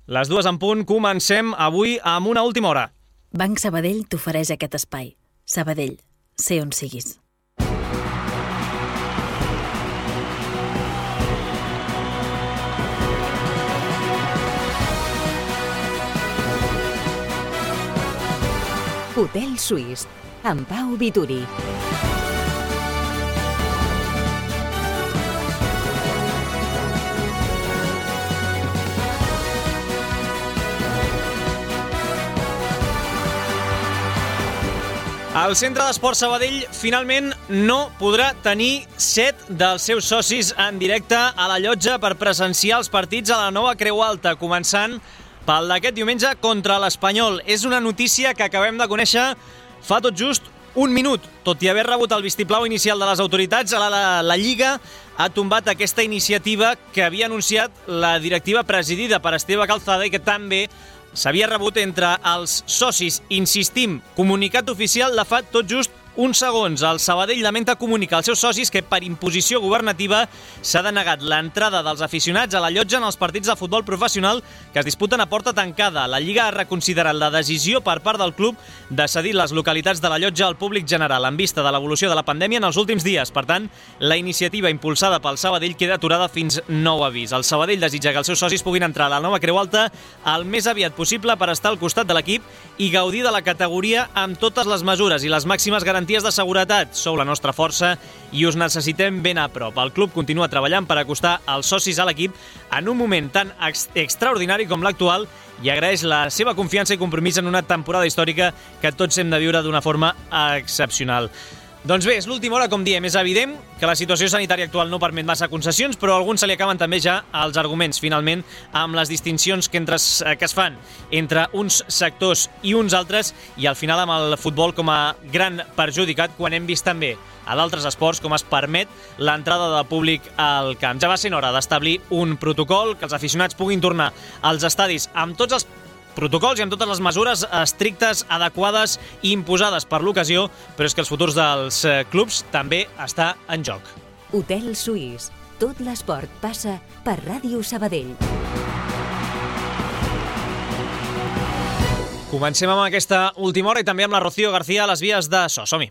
Les 2 en punt, comencem avui amb una última hora. Banc Sabadell t'ofereix aquest espai. Sabadell, sé on siguis. Hotel Suís, amb Pau Vituri. El Centre d'Esports Sabadell finalment no podrà tenir 7 dels seus socis en directe a la llotja per presenciar els partits a la nova Creu Alta, començant pel d'aquest diumenge contra l'Espanyol. És una notícia que acabem de conèixer fa tot just un minut. Tot i haver rebut el vistiplau inicial de les autoritats, la Lliga ha tombat aquesta iniciativa que havia anunciat la directiva presidida per Esteve Calzada i que també s'havia rebut entre els socis. Insistim, comunicat oficial de fa tot just uns segons. El Sabadell lamenta comunicar als seus socis que per imposició governativa s'ha denegat l'entrada dels aficionats a la llotja en els partits de futbol professional que es disputen a porta tancada. La Lliga ha reconsiderat la decisió per part del club de cedir les localitats de la llotja al públic general en vista de l'evolució de la pandèmia en els últims dies. Per tant, la iniciativa impulsada pel Sabadell queda aturada fins nou avís. El Sabadell desitja que els seus socis puguin entrar a la nova Creu Alta el més aviat possible per estar al costat de l'equip i gaudir de la categoria amb totes les mesures i les màximes garanties de seguretat. Sou la nostra força i us necessitem ben a prop. El club continua treballant per acostar els socis a l'equip en un moment tan extraordinari com l'actual i agraeix la seva confiança i compromís en una temporada històrica que tots hem de viure d'una forma excepcional. Doncs bé, és l'última hora, com diem. És evident que la situació sanitària actual no permet massa concessions, però a alguns se li acaben també ja els arguments, finalment, amb les distincions que es fan entre uns sectors i uns altres, i al final amb el futbol com a gran perjudicat, quan hem vist també a d'altres esports com es permet l'entrada de públic al camp. Ja va sent hora d'establir un protocol, que els aficionats puguin tornar als estadis amb tots els protocols i amb totes les mesures estrictes, adequades i imposades per l'ocasió, però és que els futurs dels clubs també està en joc. Hotel Suís. Tot l'esport passa per Ràdio Sabadell. Comencem amb aquesta última hora i també amb la Rocío García a les vies de so. Som-hi.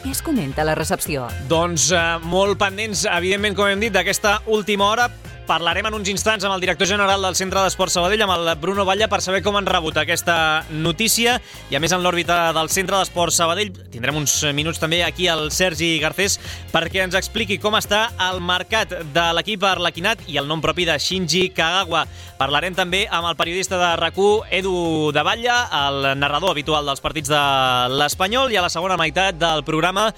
Què es comenta a la recepció? Doncs molt pendents, evidentment, com hem dit, d'aquesta última hora. Parlarem en uns instants amb el director general del Centre d'Esports Sabadell, amb el Bruno Batlle, per saber com han rebut aquesta notícia. I a més, en l'òrbita del Centre d'Esports Sabadell tindrem uns minuts també aquí al Sergi Garcés perquè ens expliqui com està el mercat de l'equip arlequinat i el nom propi de Shinji Kagawa. Parlarem també amb el periodista de RAC1, Edu de Batlle, el narrador habitual dels partits de l'Espanyol, i a la segona meitat del programa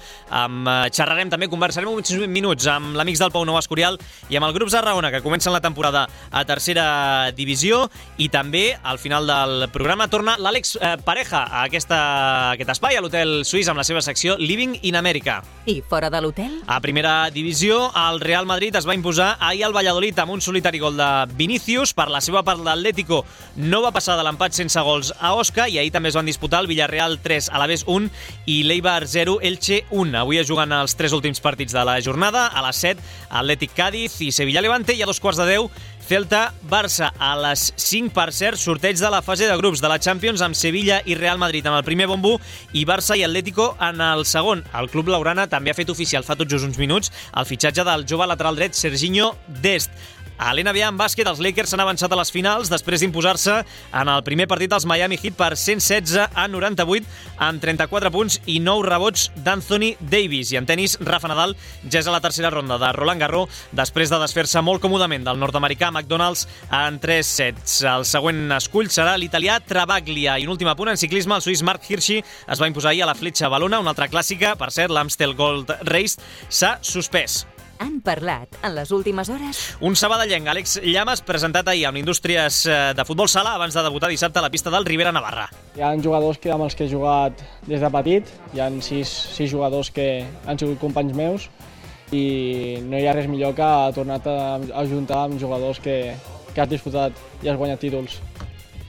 xerrarem també, conversarem uns minuts amb l'Amics del Pau Nou Escorial i amb el Grup Zarraona, que comencen la temporada a tercera divisió, i també al final del programa torna l'Àlex Pareja a aquest espai, a l'Hotel Suís, amb la seva secció Living in America. I fora de l'hotel? A primera divisió, el Real Madrid es va imposar ahir al Valladolid amb un solitari gol de Vinícius. Per la seva part, l'Atlético no va passar de l'empat sense gols a Osca, i ahir també es van disputar el Villarreal 3, Alavés 1 i l'Eibar 0, Elche 1. Avui es juguen els 3 últims partits de la jornada. A les 7, Atlètic Cádiz i Sevilla Levante, i a 2:15, Celta-Barça. A les 5, per cert, sorteig de la fase de grups de la Champions amb Sevilla i Real Madrid en el primer bombo i Barça i Atlético en el segon. El club laurana també ha fet oficial fa tot just uns minuts el fitxatge del jove lateral dret Serginho Dest. A l'NBA en bàsquet, els Lakers s'han avançat a les finals després d'imposar-se en el primer partit als Miami Heat per 116-98 amb 34 punts i 9 rebots d'Anthony Davis. I en tenis, Rafa Nadal ja és a la tercera ronda de Roland Garros després de desfer-se molt còmodament del nord-americà McDonald's en 3 sets. El següent escull serà l'italià Travaglia. I un últim apunt en ciclisme, el suís Marc Hirschi es va imposar ahir a la Fletxa Valona, una altra clàssica. Per cert, l'Amstel Gold Race s'ha suspès. Han parlat en les últimes hores? Un sabadellenc, Àlex Llamas, presentat ahir amb Indústries de Futbol Sala abans de debutar dissabte a la pista del Ribera Navarra. Hi ha jugadors amb els que he jugat des de petit, hi ha 6 jugadors que han sigut companys meus i no hi ha res millor que tornar a ajuntar amb jugadors que has disfrutat i has guanyat títols.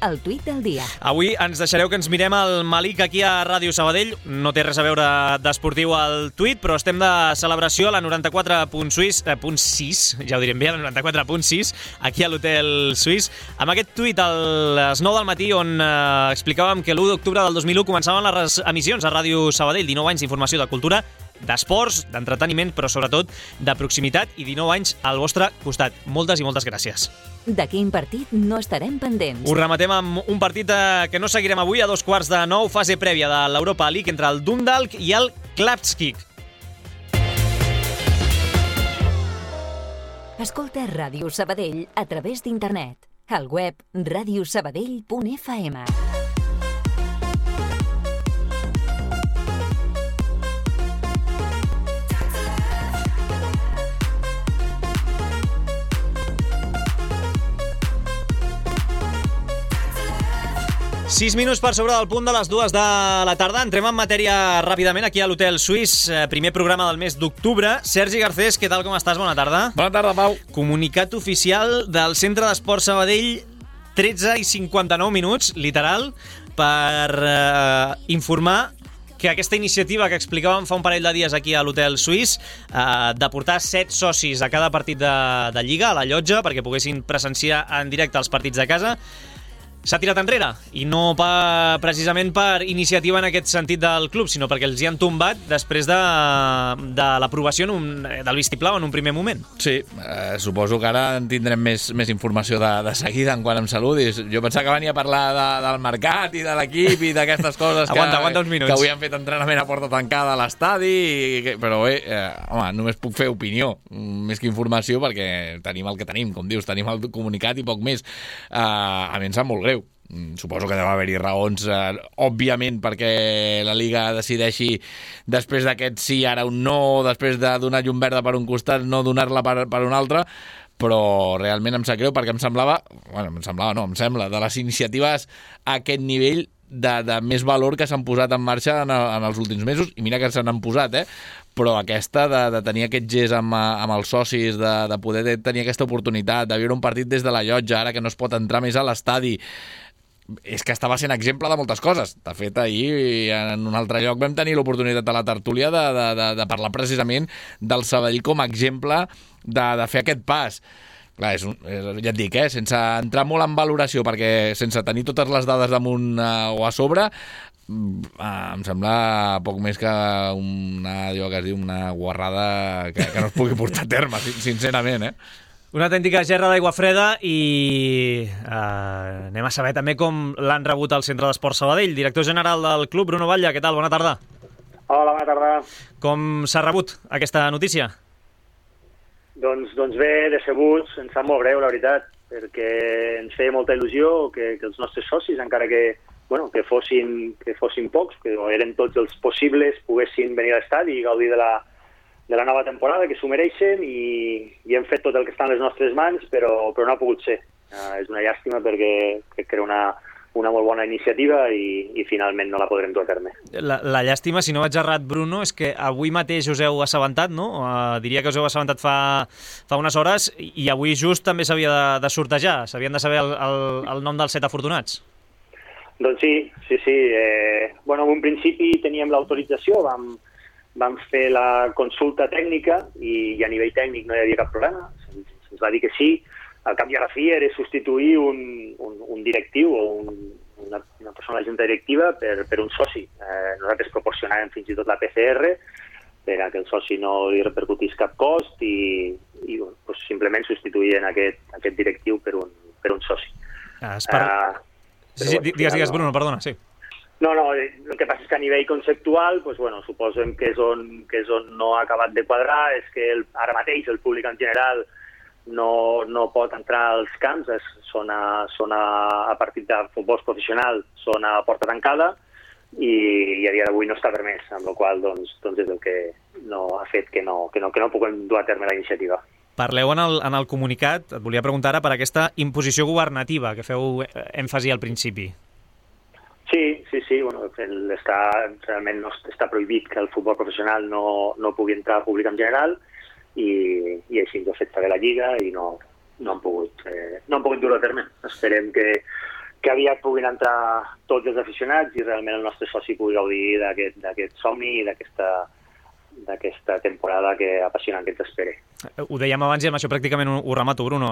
el tuit del dia. Avui ens deixareu que ens mirem el Malik aquí a Ràdio Sabadell. No té res a veure d'esportiu al tuit, però estem de celebració a la 94.6, ja ho direm bé, a la 94.6, aquí a l'Hotel Suís, amb aquest tuit a les 9 del matí on explicàvem que l'1 d'octubre del 2001 començaven les emissions a Ràdio Sabadell, 19 anys d'informació de cultura, d'esports, d'entreteniment, però sobretot de proximitat i 19 anys al vostre costat. Moltes i moltes gràcies. De quin partit no estarem pendents? Us rematem amb un partit que no seguirem avui a 8:45, fase prèvia de l'Europa League entre el Dundalk i el Klapskik. Escolta Ràdio Sabadell a través d'internet. Al web radiosabadell.fm. 6 minuts per sobre del punt de les 2 de la tarda. Entrem en matèria ràpidament aquí a l'Hotel Suís. Primer programa del mes d'octubre. Sergi Garcés, què tal, com estàs? Bona tarda. Bona tarda, Pau. Comunicat oficial del Centre d'Esport Sabadell, 13:59 minuts, literal, per informar que aquesta iniciativa que explicàvem fa un parell de dies aquí a l'Hotel Suís, de portar 7 socis a cada partit de Lliga, a la llotja, perquè poguessin presenciar en directe els partits de casa, s'ha tirat enrere, i no precisament per iniciativa en aquest sentit del club, sinó perquè els hi han tombat després de l'aprovació del vistiplau en un primer moment. Sí, suposo que ara en tindrem més informació de seguida en quant em saludis. Jo pensava que venia a parlar del mercat i de l'equip i d'aquestes coses aguanta uns minuts. Que avui han fet entrenament a porta tancada a l'estadi, però bé, home, només puc fer opinió, més que informació, perquè tenim el que tenim, com dius, tenim el comunicat i poc més. A mi em sap molt greu. Suposo que deu haver-hi raons, òbviament, perquè la Liga decideixi després d'aquest sí, ara un no, després de donar llum verda per un costat, no donar-la per un altre, però realment em sap greu perquè em sembla, de les iniciatives a aquest nivell de més valor que s'han posat en marxa en els últims mesos, i mira que se n'han posat, però aquesta de tenir aquest gest amb els socis, de poder tenir aquesta oportunitat, de viure un partit des de la llotja, ara que no es pot entrar més a l'estadi, és que estava sent exemple de moltes coses. De fet, ahir en un altre lloc vam tenir l'oportunitat a la tertúlia de parlar precisament del Sabadell com a exemple de fer aquest pas. Clar, ja et dic, sense entrar molt en valoració, perquè sense tenir totes les dades damunt o a sobre, em sembla poc més que una guarrada que no es pugui portar a terme, sincerament, Una autèntica gerra d'aigua freda, i anem a saber també com l'han rebut al Centre d'Esport Sabadell. Director general del club, Bruno Batlle, què tal? Bona tarda. Hola, bona tarda. Com s'ha rebut aquesta notícia? Doncs bé, decebuts, ens sap molt greu, la veritat, perquè ens feia molta il·lusió que els nostres socis, encara que fossin pocs, que eren tots els possibles, poguessin venir a l'estadi i gaudir de la nova temporada, que s'ho mereixen, i hem fet tot el que està en les nostres mans, però no ha pogut ser. És una llàstima, perquè crec que era una molt bona iniciativa i finalment no la podrem dur a terme. La llàstima, si no vaig errat, Bruno, és que avui mateix us heu assabentat, no? Diria que us heu assabentat fa unes hores, i avui just també s'havia de sortejar, s'havien de saber el nom dels 7 afortunats. Doncs sí. En un principi teníem l'autorització, vam fer la consulta tècnica i a nivell tècnic no hi havia cap problema. Se'ns va dir que sí. Al cap i a la fi era substituir un directiu o una persona de la junta directiva per un soci. Nosaltres proporcionàvem fins i tot la PCR per a que el soci no li repercutís cap cost i simplement substituïen aquest directiu per un soci. Digues, Bruno, perdona, sí. No, el que passa és que a nivell conceptual, suposem que és on no ha acabat de quadrar, és que ara mateix el públic en general no pot entrar als camps, són a partir de futbol professional, són a porta tancada, i a dia d'avui no està permès, amb la qual cosa és el que no ha fet que no puguem dur a terme la iniciativa. Parleu en el comunicat, et volia preguntar ara, per aquesta imposició governativa que feu èmfasi al principi. Sí. Realment no està prohibit que el futbol professional no pugui entrar al públic en general, i així ens ha fet saber la Lliga i no han pogut dur-ho a terme. Esperem que que aviat puguin entrar tots els aficionats i realment el nostre soci pugui gaudir d'aquest somni i d'aquesta temporada apassionant que ens espera. Ho dèiem abans i amb això pràcticament ho remato, Bruno.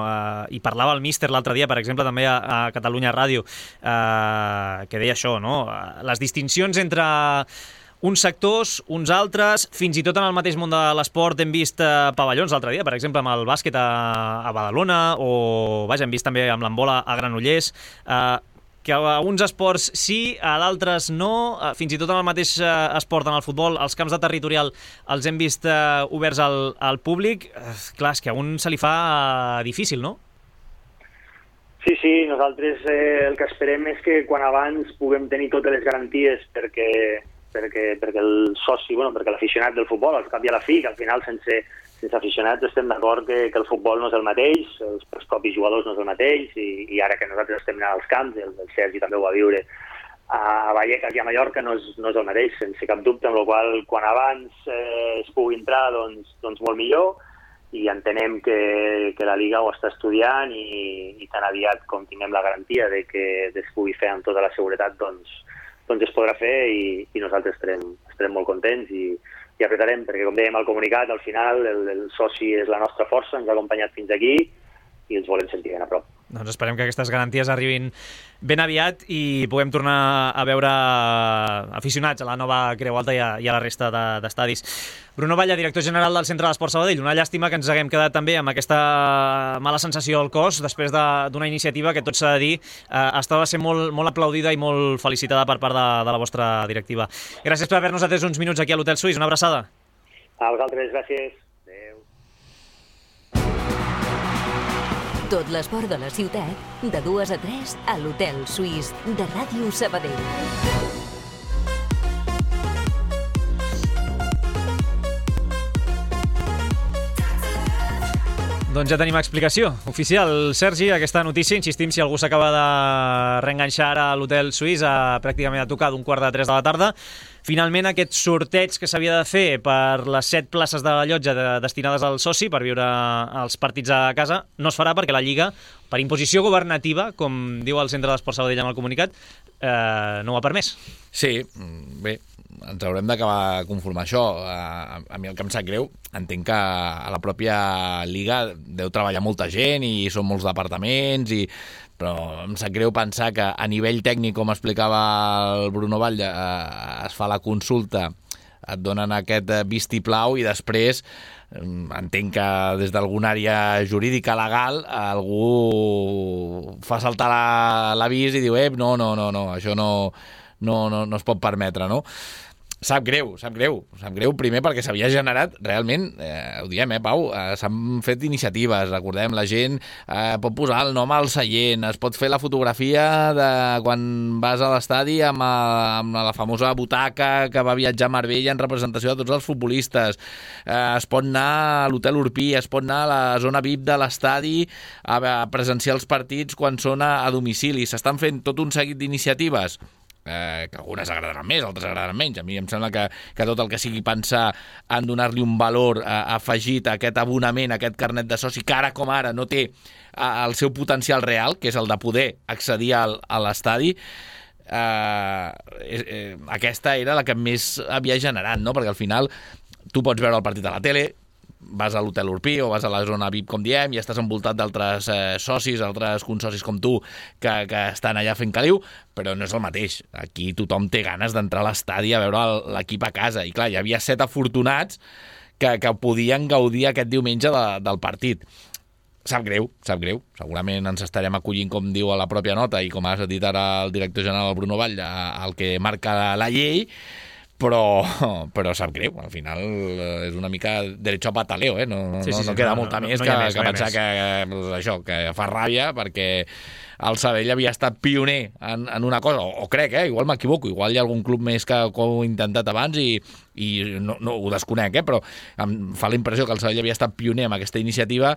I parlava el míster l'altre dia, per exemple, també a Catalunya Ràdio, que deia això, no? Les distincions entre uns sectors, uns altres, fins i tot en el mateix món de l'esport hem vist pavellons l'altre dia, per exemple, amb el bàsquet a Badalona, o vaja, hem vist també amb l'handbol a Granollers, que a uns esports sí, a d'altres no, fins i tot en el mateix esport, en el futbol, els camps de territorial els hem vist oberts al públic. Clar, és que a un se li fa difícil, no? Sí, nosaltres el que esperem és que quan abans puguem tenir totes les garanties perquè el soci, perquè l'aficionat del futbol, al cap i a la fi, que al final sense aficionats estem d'acord que el futbol no és el mateix, els propis jugadors no és el mateix, i ara que nosaltres estem anant als camps, el Sergi també ho va viure a Vallecas i a Mallorca, no és el mateix, sense cap dubte, amb la qual quan abans es pugui entrar, doncs molt millor, i entenem que la Liga ho està estudiant i tan aviat com tinguem la garantia de que es pugui fer amb tota la seguretat, doncs es podrà fer i nosaltres estarem molt contents i apretarem, perquè com dèiem al comunicat, al final el soci és la nostra força, ens ha acompanyat fins aquí i els volem sentir ben a prop. Doncs esperem que aquestes garanties arribin ben aviat i puguem tornar a veure aficionats a la nova Creu Alta i a la resta d'estadis. Bruno Batlle, director general del Centre d'Esport Sabadell. Una llàstima que ens haguem quedat també amb aquesta mala sensació al cos després d'una iniciativa que, tot s'ha de dir, estava sent molt aplaudida i molt felicitada per part de la vostra directiva. Gràcies per haver-nos atès uns minuts aquí a l'Hotel Suís. Una abraçada. A vosaltres, gràcies. Adéu. Tot l'esport de la ciutat, de 2 a 3 a l'Hotel Suís de Ràdio Sabadell. Doncs ja tenim explicació oficial. Sergi, aquesta notícia, insistim, si algú s'acaba de reenganxar ara a l'Hotel Suís pràcticament a tocar d'1:45 de la tarda, finalment aquest sorteig que s'havia de fer per les 7 places de la llotja destinades al soci per viure els partits a casa no es farà perquè la Lliga, per imposició governativa, com diu el Centre d'Esport Sabadell amb el comunicat, no ho ha permès. Sí, bé, ens haurem d'acabar de conformar això. A mi el que em sap greu, entenc que a la pròpia Lliga deu treballar molta gent i són molts departaments, però em sap greu pensar que a nivell tècnic, com explicava el Bruno Batlle, es fa la consulta, et donen aquest vistiplau i després entenc que des d'alguna àrea jurídica legal algú fa saltar l'avís i diu no, això no es pot permetre, no? Sap greu primer perquè s'havia generat realment, ho diem, Pau, s'han fet iniciatives, recordem, la gent pot posar el nom al seient, es pot fer la fotografia de quan vas a l'estadi amb la famosa butaca que va viatjar a Marbella en representació de tots els futbolistes, es pot anar a l'Hotel Urpí, es pot anar a la zona VIP de l'estadi a presenciar els partits quan són a domicili, s'estan fent tot un seguit d'iniciatives que algunes agradaran més, altres agradaran menys. A mi em sembla que tot el que sigui pensar en donar-li un valor afegit a aquest abonament, a aquest carnet de soci, que ara com ara no té el seu potencial real, que és el de poder accedir a l'estadi, aquesta era la que més havia generat, no? Perquè al final tu pots veure el partit a la tele, vas a l'Hotel Urpí o vas a la zona VIP, com diem, i estàs envoltat d'altres socis, altres consocis com tu, que estan allà fent caliu, però no és el mateix. Aquí tothom té ganes d'entrar a l'estadi a veure l'equip a casa. I clar, hi havia 7 afortunats que podien gaudir aquest diumenge del partit. Sap greu. Segurament ens estarem acollint, com diu a la pròpia nota, i com has dit ara el director general Bruno Batlle, el que marca la llei, però sap greu, al final és una mica derecho a pataleo, no queda molta més que pensar que fa ràbia, perquè el Sabadell havia estat pioner en una cosa, o crec, igual m'equivoco, igual hi ha algun club més que ho ha intentat abans i no ho desconec, però em fa la impressió que el Sabadell havia estat pioner amb aquesta iniciativa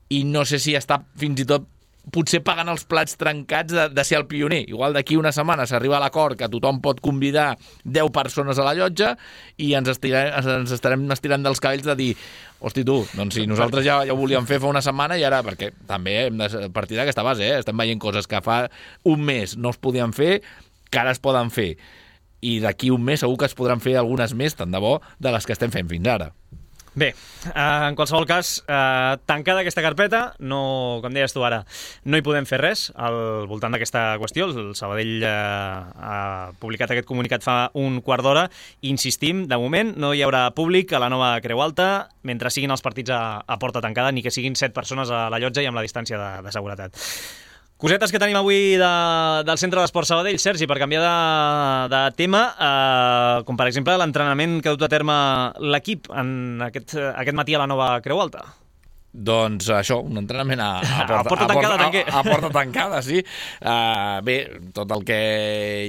i no sé si està fins i tot potser pagant els plats trencats de ser el pioner. Igual d'aquí una setmana s'arriba a l'acord que tothom pot convidar 10 persones a la llotja i ens estarem estirant dels cabells de dir hosti tu, doncs si nosaltres ja ho volíem fer fa una setmana i ara, perquè també hem de partir d'aquesta base, estem veient coses que fa un mes no es podien fer, que ara es poden fer. I d'aquí un mes segur que es podran fer algunes més, tant de bo, de les que estem fent fins ara. Bé, en qualsevol cas, tancada aquesta carpeta, no, com deies tu ara, no hi podem fer res al voltant d'aquesta qüestió. El Sabadell ha publicat aquest comunicat fa un quart d'hora. Insistim, de moment no hi haurà públic a la nova Creu Alta mentre siguin els partits a porta tancada, ni que siguin 7 persones a la llotja i amb la distància de seguretat. Cosetes que tenim avui del Centre d'Esport Sabadell, Sergi, per canviar de tema, com per exemple l'entrenament que ha dut a terme l'equip en aquest matí a la nova Creu Alta. Doncs això, un entrenament a porta tancada, sí. Bé, tot el que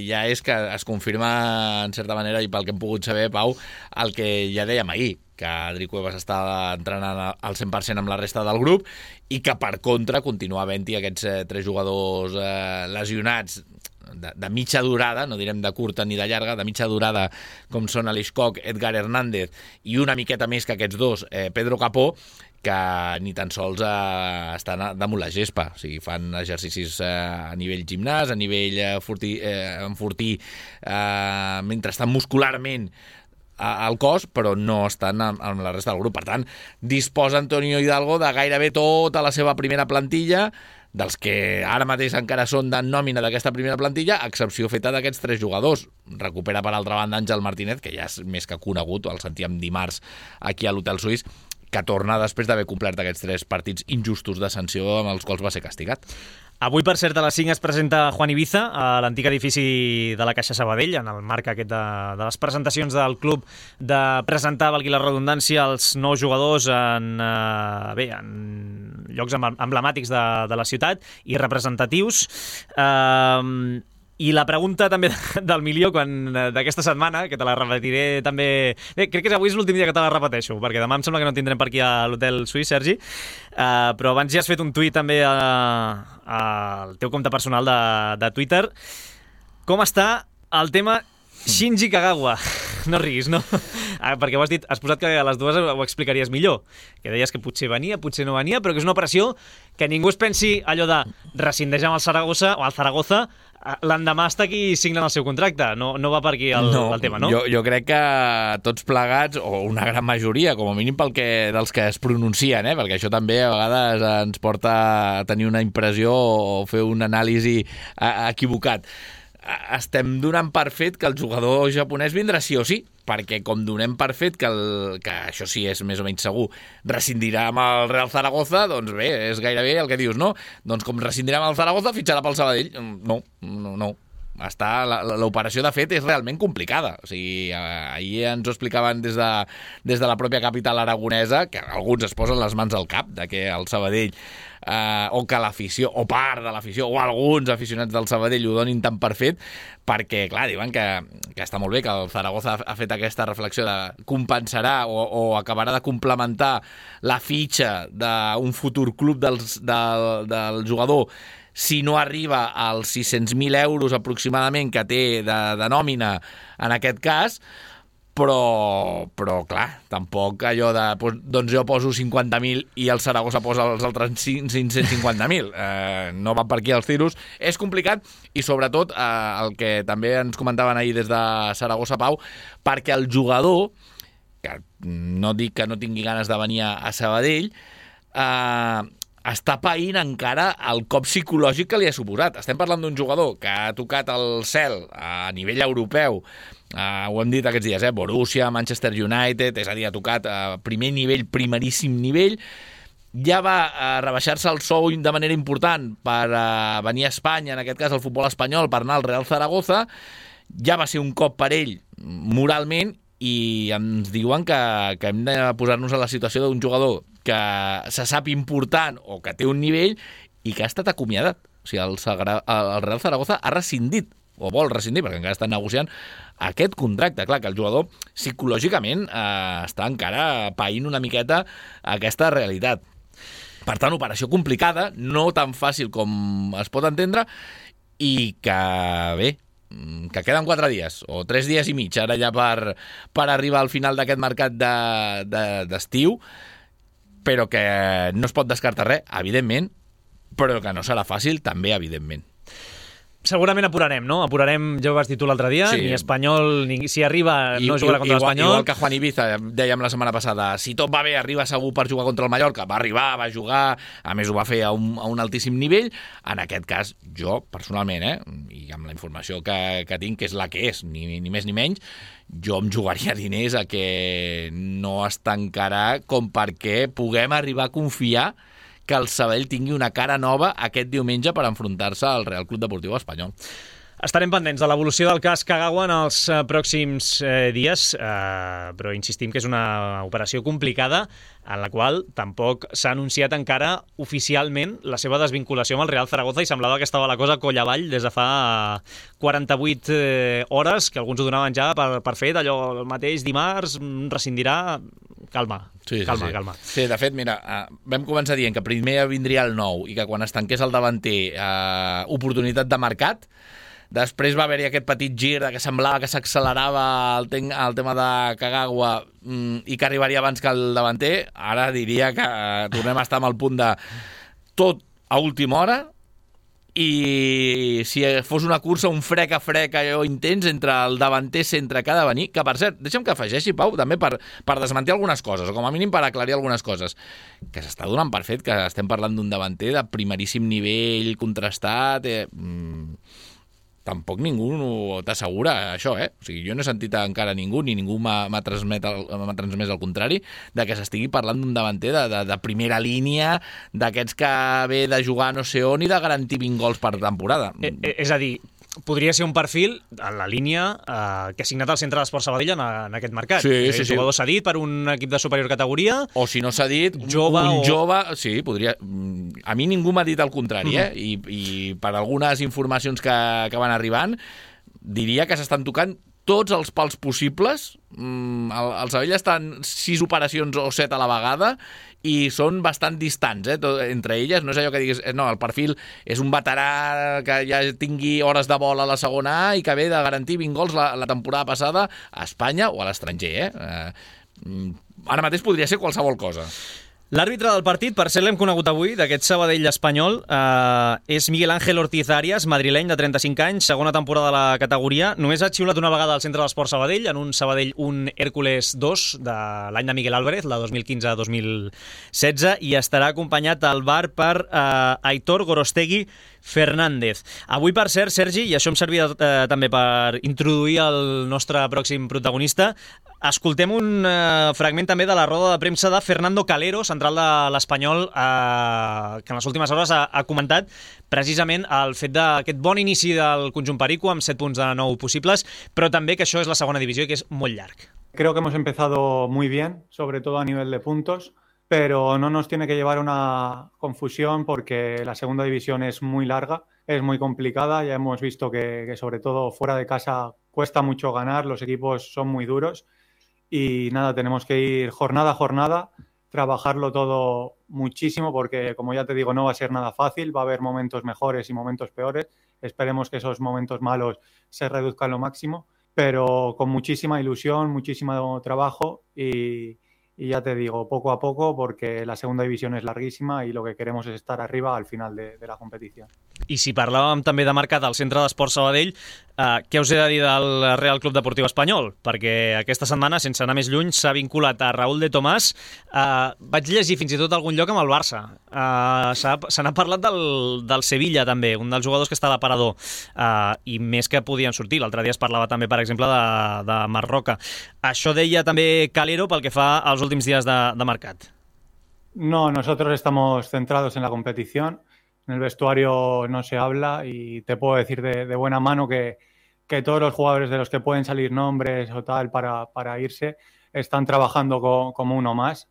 ja és que es confirma, en certa manera, i pel que hem pogut saber, Pau, el que ja dèiem ahir, que Adri Cuevas està entrenant al 100% amb la resta del grup i que, per contra, continua havent-hi aquests 3 jugadors lesionats de mitja durada, no direm de curta ni de llarga, de mitja durada, com són Aleix Koch, Edgar Hernández i una miqueta més que aquests dos, Pedro Capó, que ni tan sols estan damunt la gespa. O sigui, fan exercicis a nivell gimnàs, a nivell enfortir mentre estan muscularment al cos, però no estan amb la resta del grup. Per tant, disposa Antonio Hidalgo de gairebé tota la seva primera plantilla, dels que ara mateix encara són de nòmina d'aquesta primera plantilla, a excepció feta d'aquests 3 jugadors. Recupera, per altra banda, Àngel Martínez, que ja és més que conegut, el sentíem dimarts aquí a l'Hotel Suís, que torna després d'haver complert aquests 3 partits injustos de sanció amb els quals va ser castigat. Avui, per cert, a les 5 es presenta Juan Ibiza a l'antic edifici de la Caixa Sabadell, en el marc aquest de les presentacions del club de presentar, valgui la redundància, els nous jugadors en llocs emblemàtics de la ciutat i representatius. I la pregunta també del milió d'aquesta setmana, que te la repetiré també... Bé, crec que avui és l'últim dia que te la repeteixo, perquè demà em sembla que no tindrem per aquí a l'Hotel Suís, Sergi, però abans ja has fet un tuit també al teu compte personal de Twitter. Com està el tema Shinji Kagawa? No riguis, no? Perquè has posat que a les dues ho explicaries millor, que deies que potser venia, potser no venia, però que és una operació que ningú es pensi allò de rescindeix amb el Zaragoza, l'endemà està aquí i signen el seu contracte. No va per aquí el tema, no? Jo crec que tots plegats, o una gran majoria, com a mínim dels que es pronuncien, perquè això també a vegades ens porta a tenir una impressió o fer un anàlisi equivocat. Estem donant per fet que el jugador japonès vindrà sí o sí, perquè com donem per fet que això sí és més o menys segur, rescindirà amb el Real Zaragoza, doncs bé, és gairebé el que dius, no? Doncs com rescindirà amb el Zaragoza, fitxarà pel Sabadell. No. L'operació, de fet, és realment complicada. O sigui, ahir ens ho explicaven des de la pròpia capital aragonesa, que alguns es posen les mans al cap de que el Sabadell o que l'afició, o part de l'afició, o alguns aficionats del Sabadell ho donin tan per fet, perquè, clar, diuen que està molt bé que el Zaragoza ha fet aquesta reflexió de compensarà o acabarà de complementar la fitxa d'un futur club del jugador si no arriba als 600.000 euros aproximadament que té de nòmina en aquest cas, però clar, tampoc allò de doncs jo poso 50.000 i el Saragossa posa els altres 550.000. No van per aquí els tiros. És complicat i sobretot el que també ens comentaven ahir des de Saragossa, Pau, perquè el jugador, que no dic que no tingui ganes de venir a Sabadell, està païnt encara el cop psicològic que li ha suposat. Estem parlant d'un jugador que ha tocat el cel a nivell europeu, ho hem dit aquests dies, Borussia, Manchester United, és a dir, ha tocat a primer nivell, primeríssim nivell, ja va rebaixar-se el sou de manera important per venir a Espanya, en aquest cas al futbol espanyol, per anar al Real Zaragoza, ja va ser un cop per ell moralment, i ens diuen que hem de posar-nos a la situació d'un jugador que se sap important o que té un nivell i que ha estat acomiadat. O sigui, el Real Zaragoza ha rescindit, o vol rescindir, perquè encara estan negociant aquest contracte. Clar, que el jugador psicològicament està encara païnt una miqueta aquesta realitat. Per tant, operació complicada, no tan fàcil com es pot entendre, i que, bé, que queden 4 dies, o 3 dies i mig, ara ja per arribar al final d'aquest mercat d'estiu, però que no es pot descartar res, evidentment, però que no serà fàcil, també, evidentment. Segurament apurarem, no? Apurarem, ja ho vas dir tu l'altre dia, sí. Ni Espanyol, si arriba no jugarà contra l'Espanyol. Igual que Juan Ibiza, dèiem la setmana passada, si tot va bé, arriba segur per jugar contra el Mallorca, va arribar, va jugar, a més ho va fer a un altíssim nivell. En aquest cas, jo, personalment, i amb la informació que tinc, que és la que és, ni més ni menys, jo em jugaria diners a que no es tancarà com perquè puguem arribar a confiar que el Sabadell tingui una cara nova aquest diumenge per enfrontar-se al Real Club Deportiu Espanyol. Estarem pendents de l'evolució del cas Kagawa en els pròxims dies, però insistim que és una operació complicada en la qual tampoc s'ha anunciat encara oficialment la seva desvinculació amb el Real Zaragoza i semblava que estava la cosa coll avall des de fa 48 hores, que alguns ho donaven ja per fet, allò el mateix dimarts, rescindirà. Calma. Sí, de fet, mira, vam començar dient que primer vindria el nou i que quan es tanqués el davanter oportunitat de mercat. Després va haver-hi aquest petit gir que semblava que s'accelerava el tema de Kagawa i que arribaria abans que el davanter. Ara diria que tornem a estar amb el punt de tot a última hora, i si fos una cursa, un frec a frec allò intens entre el davanter centre que ha de venir, que per cert, deixa'm que afegeixi, Pau, també per desmentir algunes coses, o com a mínim per aclarir algunes coses, que s'està donant per fet que estem parlant d'un davanter de primeríssim nivell, contrastat, tampoc ningú t'assegura això, O sigui, jo no he sentit encara ningú, ni ningú m'ha transmès el contrari, de que s'estigui parlant d'un davanter de primera línia, d'aquests que ve de jugar no sé on i de garantir 20 gols per temporada. És a dir, podria ser un perfil en la línia que ha signat el Centre d'Esport Sabadell en aquest mercat. Sí. Jugador cedit per un equip de superior categoria. O si no cedit, jove. Sí, podria. A mi ningú m'ha dit el contrari, I per algunes informacions que van arribant, diria que s'estan tocant tots els pals possibles. El Sabadell està en 6 operacions o 7 a la vegada i són bastant distants, entre elles. No és allò que diguis, no, el perfil és un veterà que ja tingui hores de vol a la segona A i que ve de garantir 20 gols la temporada passada a Espanya o a l'estranger, Ara mateix podria ser qualsevol cosa. L'àrbitre del partit, per cert, l'hem conegut avui, d'aquest Sabadell espanyol, és Miguel Ángel Ortiz Arias, madrileny de 35 anys, segona temporada de la categoria. Només ha xiulat una vegada al Centre d'Esport Sabadell, en un Sabadell 1 Hércules 2 de l'any de Miguel Álvarez, la 2015-2016, i estarà acompanyat al bar per Aitor Gorostegui Fernández. Avui, per cert, Sergi, i això em servia també per introduir el nostre pròxim protagonista, escoltem un fragment també de la roda de premsa de Fernando Calero, central de l'Espanyol, que en les últimes hores ha comentat precisament el fet d'aquest bon inici del conjunt perico amb 7 punts de 9 possibles, però també que això és la segona divisió i que és molt llarg. Creo que hemos empezado muy bien, sobre todo a nivel de puntos, pero no nos tiene que llevar a una confusión porque la segunda división es muy larga, es muy complicada. Ya hemos visto que sobre todo fuera de casa cuesta mucho ganar, los equipos son muy duros y nada, tenemos que ir jornada a jornada, trabajarlo todo muchísimo porque, como ya te digo, no va a ser nada fácil, va a haber momentos mejores y momentos peores. Esperemos que esos momentos malos se reduzcan lo máximo, pero con muchísima ilusión, muchísimo trabajo y ya te digo, poco a poco, porque la segunda división es larguísima y lo que queremos es estar arriba al final de la competición. I si parlàvem també de mercat al Centre d'Esport Sabadell, què us he de dir del Real Club Deportiu Espanyol? Perquè aquesta setmana, sense anar més lluny, s'ha vinculat a Raúl de Tomàs. Vaig llegir fins i tot algun lloc amb el Barça. Se n'ha parlat del Sevilla, també, un dels jugadors que està a l'aparador, i més que podien sortir. L'altre dia es parlava també, per exemple, de Marroca. Això deia també Calero pel que fa als últims dies de mercat. No, nosotros estamos centrados en la competición. En el vestuario no se habla y te puedo decir de buena mano que todos los jugadores de los que pueden salir nombres o tal para irse están trabajando como uno más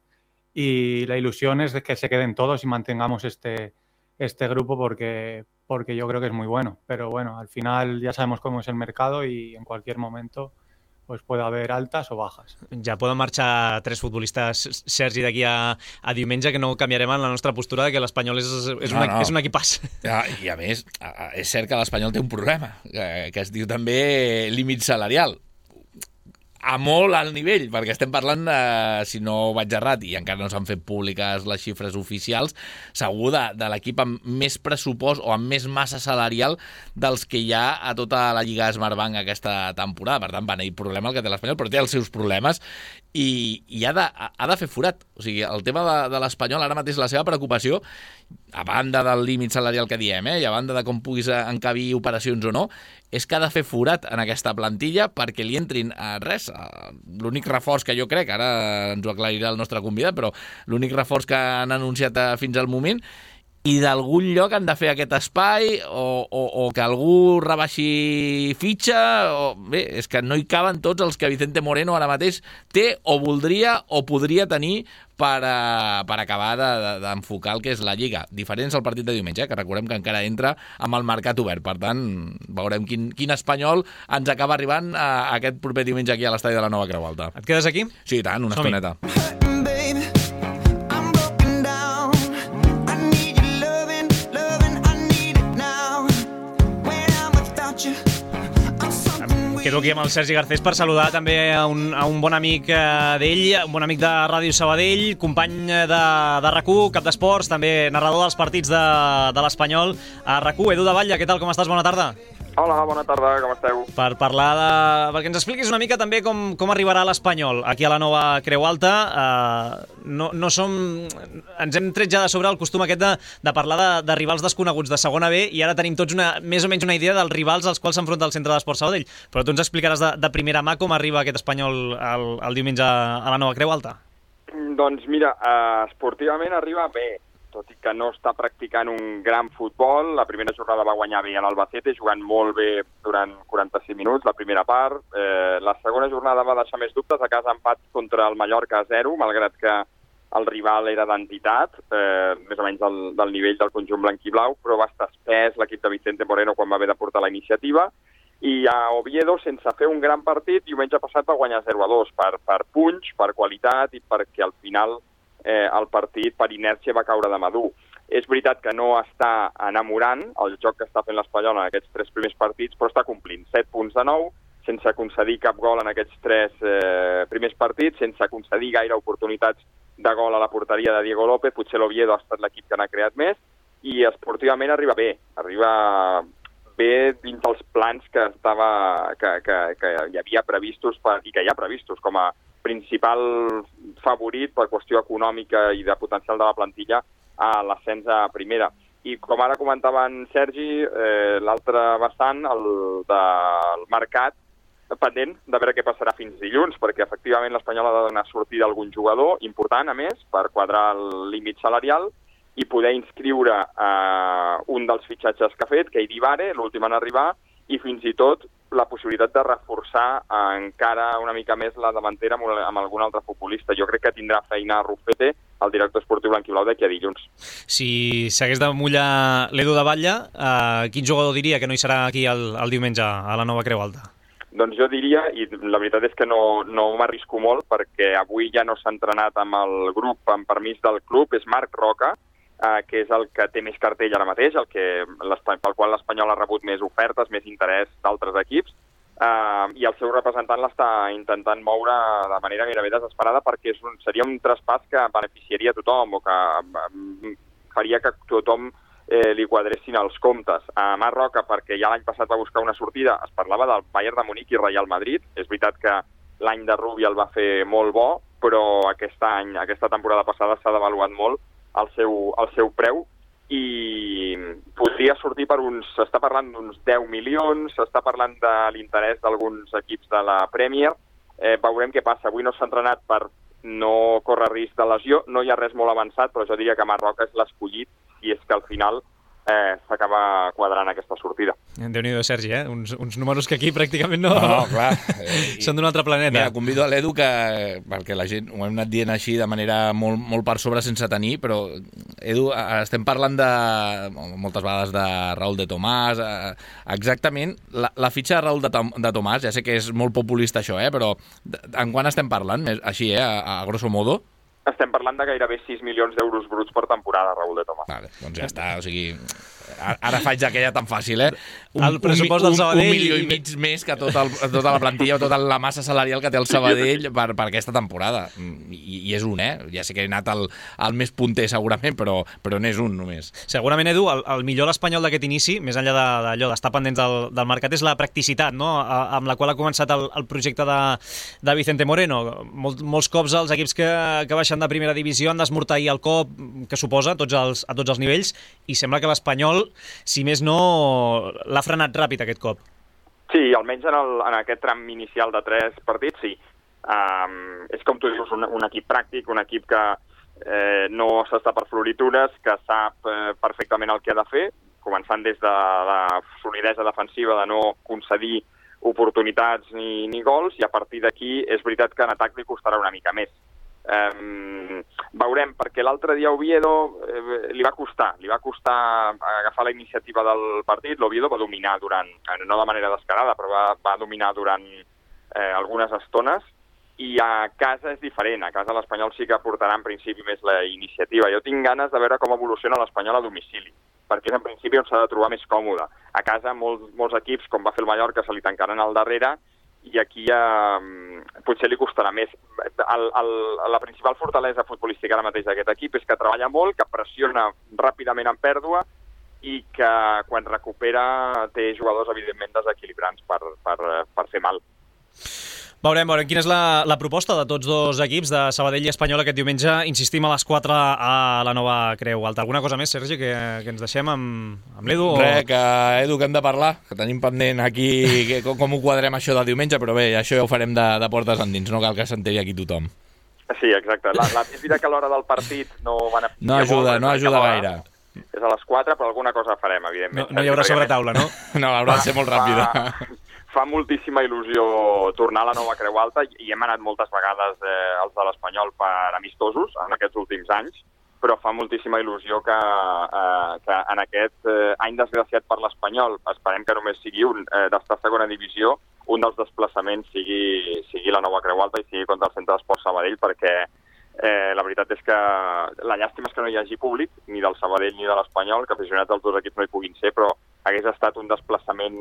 y la ilusión es de que se queden todos y mantengamos este grupo porque yo creo que es muy bueno. Pero bueno, al final ya sabemos cómo es el mercado y en cualquier momento pues puede haber altas o bajas. Ja poden marxar 3 futbolistes, Sergi, d'aquí a diumenge, que no canviarem en la nostra postura de que l'Espanyol és un equipàs. I a més, és cert que l'Espanyol té un problema, que es diu també límit salarial. A molt alt nivell, perquè estem parlant, si no vaig errat, i encara no s'han fet públiques les xifres oficials, segur de l'equip amb més pressupost o amb més massa salarial dels que hi ha a tota la Lliga Smartbank aquesta temporada. Per tant, el problema el que té l'Espanyol, però té els seus problemes i ha de fer forat. O sigui, el tema de l'Espanyol, ara mateix la seva preocupació, a banda del límit salarial que diem, i a banda de com puguis encabir operacions o no, és que ha de fer forat en aquesta plantilla perquè li entrin res. L'únic reforç que jo crec, ara ens ho aclarirà el nostre convidat, però l'únic reforç que han anunciat fins al moment, i d'algun lloc han de fer aquest espai o que algú rebaixi fitxa. Bé, és que no hi caben tots els que Vicente Moreno ara mateix té o voldria o podria tenir per acabar d'enfocar el que és la Lliga. Diferents al partit de diumenge, que recordem que encara entra amb el mercat obert. Per tant, veurem quin espanyol ens acaba arribant aquest proper diumenge aquí a l'estadi de la Nova Creu Alta. Et quedes aquí? Sí, tant, una estoneta. Quedo aquí amb el Sergi Garcés per saludar també a un bon amic d'ell, un bon amic de Ràdio Sabadell, company de RAC1, cap d'esports, també narrador dels partits de l'Espanyol a RAC1. Edu de Batlle, què tal, com estàs? Bona tarda. Hola, bona tarda, com esteu? Per parlar perquè ens expliquis una mica també com arribarà l'Espanyol aquí a la Nova Creu Alta. No som... Ens hem tret ja de sobre el costum aquest de parlar de rivals desconeguts de segona B, i ara tenim tots més o menys una idea dels rivals als quals s'enfronta el Centre d'Esports Sabadell. Però tu ens explicaràs de primera mà com arriba aquest Espanyol el diumenge a la Nova Creu Alta. Doncs mira, esportivament arriba bé, tot i que no està practicant un gran futbol. La primera jornada va guanyar bé a l'Albacete, jugant molt bé durant 45 minuts, la primera part. La segona jornada va deixar més dubtes, a casa empat contra el Mallorca a 0, malgrat que el rival era d'entitat, més o menys del nivell del conjunt blanquiblau, però va estar espès l'equip de Vicente Moreno quan va haver de portar la iniciativa. I a Oviedo, sense fer un gran partit, diumenge passat va guanyar 0-2 per punys, per qualitat i perquè al final el partit per inèrcia va caure de madur. És veritat que no està enamorant el joc que està fent l'Espanyol en aquests 3 primers partits, però està complint 7 punts de 9, sense concedir cap gol en aquests 3 primers partits, sense concedir gaire oportunitats de gol a la porteria de Diego López. Potser l'Oviedo ha estat l'equip que n'ha creat més, i esportivament arriba bé dins dels plans que hi havia previstos i que hi ha previstos com a principal favorit per qüestió econòmica i de potencial de la plantilla a l'ascens a primera. I com ara comentava en Sergi, l'altre vessant, el del mercat, pendent de veure què passarà fins dilluns, perquè efectivament l'Espanyol ha de donar sortida a algun jugador important, a més, per quadrar el límit salarial i poder inscriure un dels fitxatges que ha fet, Keidi Bare, l'últim en arribar, i fins i tot la possibilitat de reforçar encara una mica més la davantera amb algun altre futbolista. Jo crec que tindrà feina Rufete, el director esportiu blanquiblau, d'aquí a dilluns. Si s'hagués de mullar l'Edu de Batlle, quin jugador diria que no hi serà aquí el diumenge a la Nova Creu Alta? Doncs jo diria, i la veritat és que no m'arrisco molt, perquè avui ja no s'ha entrenat amb el grup amb permís del club, és Marc Roca, que és el que té més cartell ara mateix, pel qual l'Espanyol ha rebut més ofertes, més interès d'altres equips, i el seu representant l'està intentant moure de manera gairebé desesperada, perquè seria un traspàs que beneficiaria a tothom o que faria que tothom li quadressin els comptes. A Marc Roca, perquè ja l'any passat va buscar una sortida, es parlava del Bayern de Munic i Real Madrid. És veritat que l'any de Rubi el va fer molt bo, però aquesta temporada passada s'ha devaluat molt el seu preu, i podria sortir s'està parlant d'uns 10 milions, s'està parlant de l'interès d'alguns equips de la Premier. Veurem què passa. Avui no s'ha entrenat per no córrer risc de lesió, no hi ha res molt avançat, però jo diria que Marc Roca és l'escollit, si és que al final s'acaba quadrant aquesta sortida. Déu-n'hi-do, Sergi, uns números que aquí pràcticament no clar. són d'un altre planeta. Mira, convido a l'Edu perquè la gent ho hem anat dient així de manera molt per sobre sense tenir, però Edu, estem parlant moltes vegades de Raúl de Tomàs, exactament la fitxa de Raúl de Tomàs, ja sé que és molt populista això, però en quan estem parlant? Així, a grosso modo? Estem parlant de gairebé 6 milions d'euros bruts per temporada, Raúl de Tomàs. Vale, doncs ja està, o sigui, ara faig aquella tan fàcil, El pressupost del Sabadell... 1,5 milió més que tota la plantilla o tota la massa salarial que té el Sabadell per aquesta temporada. I és un, ja sé que he anat al més punter segurament, però n'és un només. Segurament, Edu, el millor l'Espanyol d'aquest inici, més enllà d'allò d'estar pendents del mercat, és la practicitat, no?, amb la qual ha començat el projecte de Vicente Moreno. Molts cops els equips que baixen de primera divisió han d'esmorteir el cop que suposa a tots els nivells, i sembla que l'Espanyol, si més no, l'ha frenat ràpid aquest cop. Sí, almenys en aquest tram inicial de 3 partits, sí. És com tu dius, un equip pràctic, un equip que no s'està per floritures, que sap perfectament el que ha de fer, començant des de la solidesa defensiva de no concedir oportunitats ni gols, i a partir d'aquí és veritat que en atac li costarà una mica més. Veurem, perquè l'altre dia Oviedo li va costar agafar la iniciativa del partit. L'Oviedo va dominar no de manera descarada, però va dominar durant algunes estones, i a casa és diferent. A casa l'Espanyol sí que portarà en principi més la iniciativa. Jo tinc ganes de veure com evoluciona l'Espanyol a domicili, perquè és en principi on s'ha de trobar més còmode. A casa molts equips, com va fer el Mallorca, se li tancaran al darrere, i aquí potser li costarà més. La principal fortalesa futbolística ara mateix d'aquest equip és que treballa molt, que pressiona ràpidament en pèrdua, i que quan recupera té jugadors evidentment desequilibrants per fer mal. Veurem quina és la proposta de tots dos equips, de Sabadell i Espanyol, aquest diumenge. Insistim a les 4 a la Nova Creu Alta. Alguna cosa més, Sergi, que ens deixem amb l'Edu? Edu, que hem de parlar, que tenim pendent aquí com ho quadrem això del diumenge, però bé, això ja ho farem de portes endins, no cal que s'enteri aquí tothom. Sí, exacte. És veritat que a l'hora del partit no van a... No ajuda gaire. És a les 4, però alguna cosa farem, evidentment. No hi haurà sobretaula, no? No, haurà de ser molt ràpida. Fa moltíssima il·lusió tornar a la Nova Creu Alta, i hem anat moltes vegades els de l'Espanyol per amistosos en aquests últims anys, però fa moltíssima il·lusió que en aquest any desgraciat per l'Espanyol, esperem que només sigui un, d'estar a segona divisió, un dels desplaçaments sigui la Nova Creu Alta i sigui contra el Centre d'Esports Sabadell, perquè la veritat és que la llàstima és que no hi hagi públic, ni del Sabadell ni de l'Espanyol, que aficionats dels dos equips no hi puguin ser, però hagués estat un desplaçament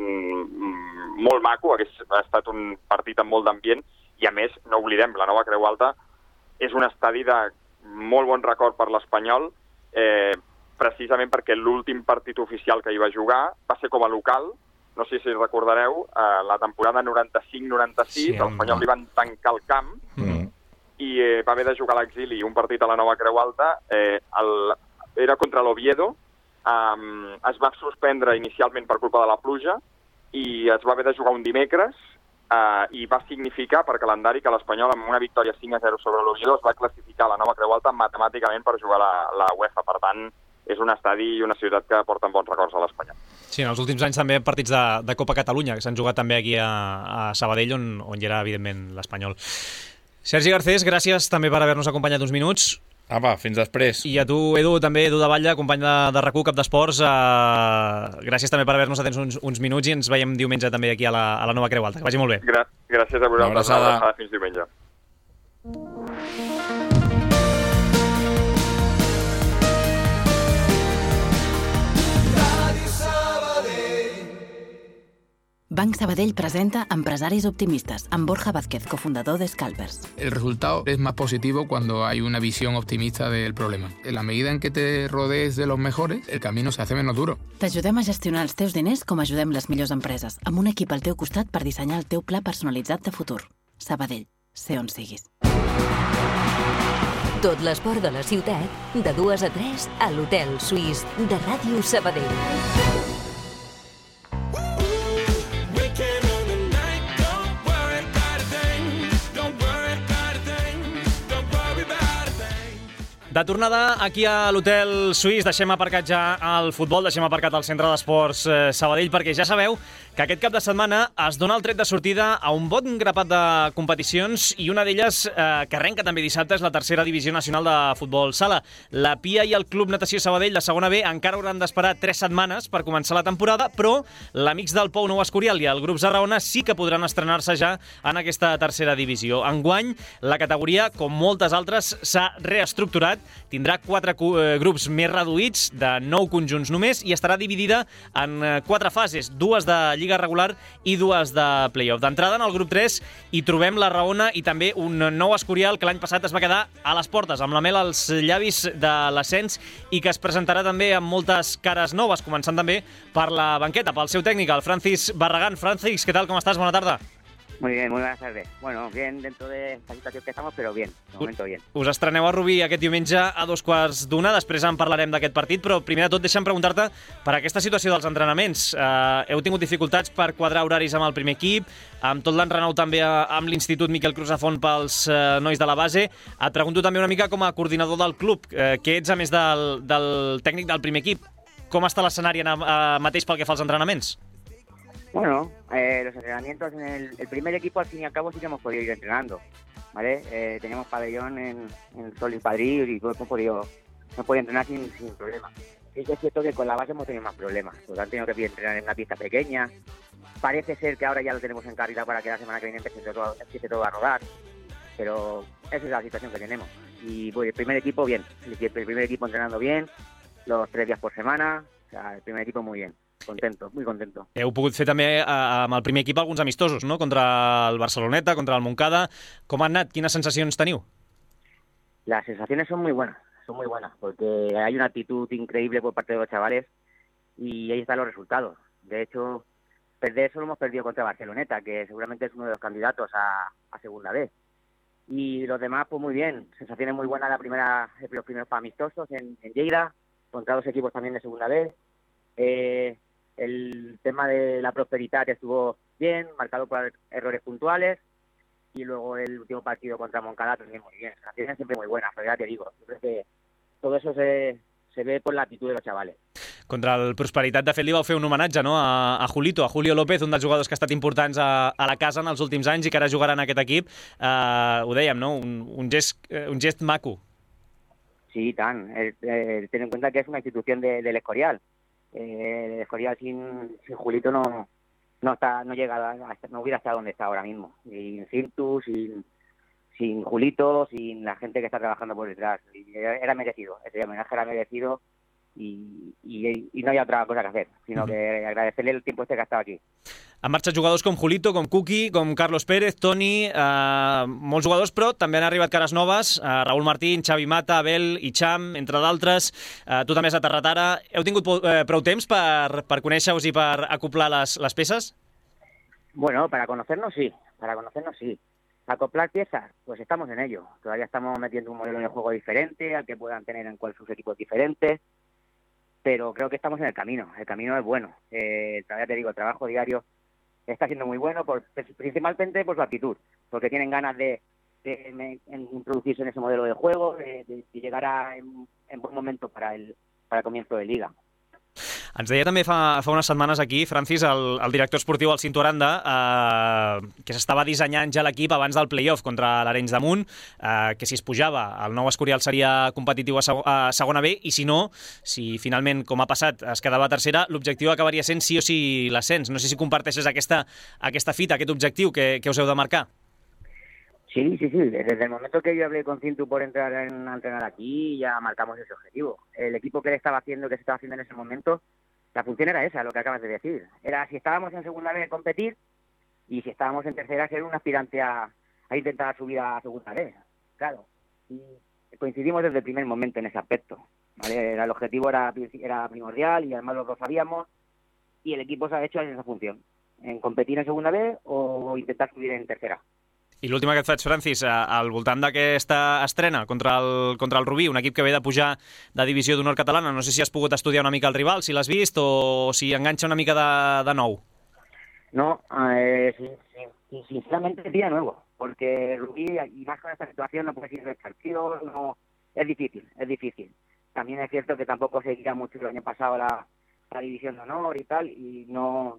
molt maco, hagués estat un partit amb molt d'ambient, i a més, no oblidem, la Nova Creu Alta és un estadi de molt bon record per l'Espanyol, precisament perquè l'últim partit oficial que hi va jugar va ser com a local. No sé si recordareu, la temporada 95-96, l'Espanyol li van tancar el camp, i va haver de jugar a l'exili un partit a la Nova Creu Alta, era contra l'Oviedo. Es va suspendre inicialment per culpa de la pluja i es va haver de jugar un dimecres, i va significar per calendari que l'Espanyol, amb una victòria 5-0 sobre l'Oviedo, es va classificar a la Nova Creu Alta matemàticament per jugar la UEFA. Per tant, és un estadi i una ciutat que porten bons records a l'Espanyol. Sí, en els últims anys també partits de Copa Catalunya, que s'han jugat també aquí a Sabadell, on hi era, evidentment, l'Espanyol. Sergi Garcés, gràcies també per haver-nos acompanyat uns minuts. Apa, fins després. I a tu, Edu, també, Edu de Batlle, company de RAC1, cap d'esports, gràcies també per haver-nos atès uns minuts, i ens veiem diumenge també aquí a la Nova Creu Alta. Que vagi molt bé. Gràcies a vosaltres. Una abraçada. Fins diumenge. Banc Sabadell presenta Empresaris Optimistas, amb Borja Vázquez, cofundador de Scalpers. El resultado es más positivo cuando hay una visión optimista del problema. En la medida en què te rodees de los mejores, el camino se hace menos duro. T'ajudem a gestionar els teus diners com ajudem les millors empreses, amb un equip al teu costat per dissenyar el teu pla personalitzat de futur. Sabadell, sé on siguis. Tot l'esport de la ciutat, de 2 a 3, a l'Hotel Suís de Ràdio Sabadell. De tornada aquí a l'Hotel Suís, deixem aparcat ja el futbol, deixem aparcat el Centre d'Esports Sabadell, perquè ja sabeu que aquest cap de setmana es dona el tret de sortida a un bon grapat de competicions i una d'elles que arrenca també dissabte és la tercera divisió nacional de futbol sala. La Pia i el Club Natació Sabadell de segona B encara hauran d'esperar 3 setmanes per començar la temporada, però l'Amics del Pou Nou Escorial i el Grup Zarraona sí que podran estrenar-se ja en aquesta tercera divisió. Enguany, la categoria, com moltes altres, s'ha reestructurat, tindrà 4 grups més reduïts, de 9 conjunts només, i estarà dividida en 4 fases, 2 de Lliga regular i 2 de play-off. D'entrada, en el grup 3, hi trobem la Raona i també un Nou Escorial que l'any passat es va quedar a les portes, amb la mel als llavis de l'ascens i que es presentarà també amb moltes cares noves, començant també per la banqueta, pel seu tècnic, el Francis Barragán. Francis, ¿qué tal? ¿Cómo estás? Buena tarde. Muy bien, muy buenas tardes. Bueno, bien dentro de la situación que estamos, però bien, de momento bien. Us estreneu a Rubí aquest diumenge a 2:15, després en parlarem d'aquest partit, però primer de tot deixa'm preguntar-te per aquesta situació dels entrenaments. Heu tingut dificultats per quadrar horaris amb el primer equip, amb tot l'enrenou també amb l'Institut Miquel Crusafont pels nois de la base. Et pregunto també una mica com a coordinador del club, que ets a més del tècnic del primer equip. Com està l'escenari mateix pel que fa als entrenaments? Bueno, los entrenamientos en el primer equipo, al fin y al cabo, sí que hemos podido ir entrenando, ¿vale? Teníamos pabellón en Sol y Padrí y hemos podido entrenar sin problema. Sí que es cierto que con la base hemos tenido más problemas, porque han tenido que entrenar en una pista pequeña. Parece ser que ahora ya lo tenemos en carrera para que la semana que viene empiece todo a rodar, pero esa es la situación que tenemos. Y pues, el primer equipo, bien. El primer equipo entrenando bien, los 3 días por semana, o sea, el primer equipo muy bien. Contento, muy contento. Heu pogut fer també amb el primer equip alguns amistosos, no? Contra el Barceloneta, contra el Montcada. Com han anat? Quines sensacions teniu? Las sensaciones son muy buenas, porque hay una actitud increíble por parte de los chavales y ahí están los resultados. De hecho, perder solo hemos perdido contra Barceloneta, que seguramente es uno de los candidatos a segunda B. Y los demás, pues muy bien. Sensaciones muy buenas los primeros amistosos en Lleida, contra 2 equipos también de segunda B. El tema de la prosperidad estuvo bien, marcado por errores puntuales, y luego el último partido contra Moncada también muy bien. Sensaciones siempre muy buenas, pero ya te digo, yo creo que todo eso se ve por la actitud de los chavales. Contra el Prosperitat, de fet, li vau fer un homenatge, no? a Julio López, un dels jugadors que ha estat importants a la casa en els últims anys i que ara jugarà en aquest equip. Ho dèiem, no? Un gest maco. Sí, tan. Ten en cuenta que es una institución del Escorial. El Escorial sin Julito no hubiera estado donde está ahora mismo. Sin Cintu, sin Julito, sin la gente que está trabajando por detrás. Era merecido, ese homenaje era merecido y no hay otra cosa que hacer, sino que agradecerle el tiempo que ha estado aquí. Han marxat jugadors com Julito, com Cuqui, com Carlos Pérez, Toni, molts jugadors, però també han arribat cares noves, Raúl Martín, Xavi Mata, Abel, Icham, entre d'altres. Tu també has aterrat ara. Heu tingut prou temps per conèixer-vos i per acoplar les peces? Bueno, para conocernos sí. Acoplar piezas, pues estamos en ello. Todavía estamos metiendo un modelo de juego diferente, al que puedan tener en cual sus equipos diferentes, pero creo que estamos en el camino. El camino es bueno. Ya te digo, el trabajo diario está siendo muy bueno, principalmente por su actitud, porque tienen ganas de introducirse en ese modelo de juego, de llegar en buen momento para el comienzo de Liga. Ens deia també fa unes setmanes aquí, Francis, el director esportiu, el Cinto Aranda, que s'estava dissenyant ja l'equip abans del play-off contra l'Arenys de Munt, que si es pujava, el Nou Escorial seria competitiu a segona B, i si no, si finalment, com ha passat, es quedava a tercera, l'objectiu acabaria sent sí o sí l'ascens. No sé si comparteixes aquesta fita, aquest objectiu que us heu de marcar. Sí. Desde el momento que yo hablé con Cintu por entrar a entrenar aquí, ya marcamos ese objetivo. El equipo que se estaba haciendo en ese momento, la función era esa, lo que acabas de decir. Era si estábamos en segunda B, competir, y si estábamos en tercera, ser un aspirante a intentar subir a segunda B. Claro. Y coincidimos desde el primer momento en ese aspecto, ¿vale? El objetivo era primordial y además los dos sabíamos, y el equipo se ha hecho en esa función, en competir en segunda B o intentar subir en tercera. I l'última que et faig, Francis, al voltant d'aquesta estrena contra el Rubí, un equip que ve de pujar de divisió d'honor catalana. No sé si has pogut estudiar una mica el rival, si l'has vist o si enganxa una mica de nou. No, sinceramente pilla nuevo, porque Rubí, y más con esta situación, no puede ir de partido, es difícil. También es cierto que tampoco seguía mucho el año pasado la división de honor y tal, y no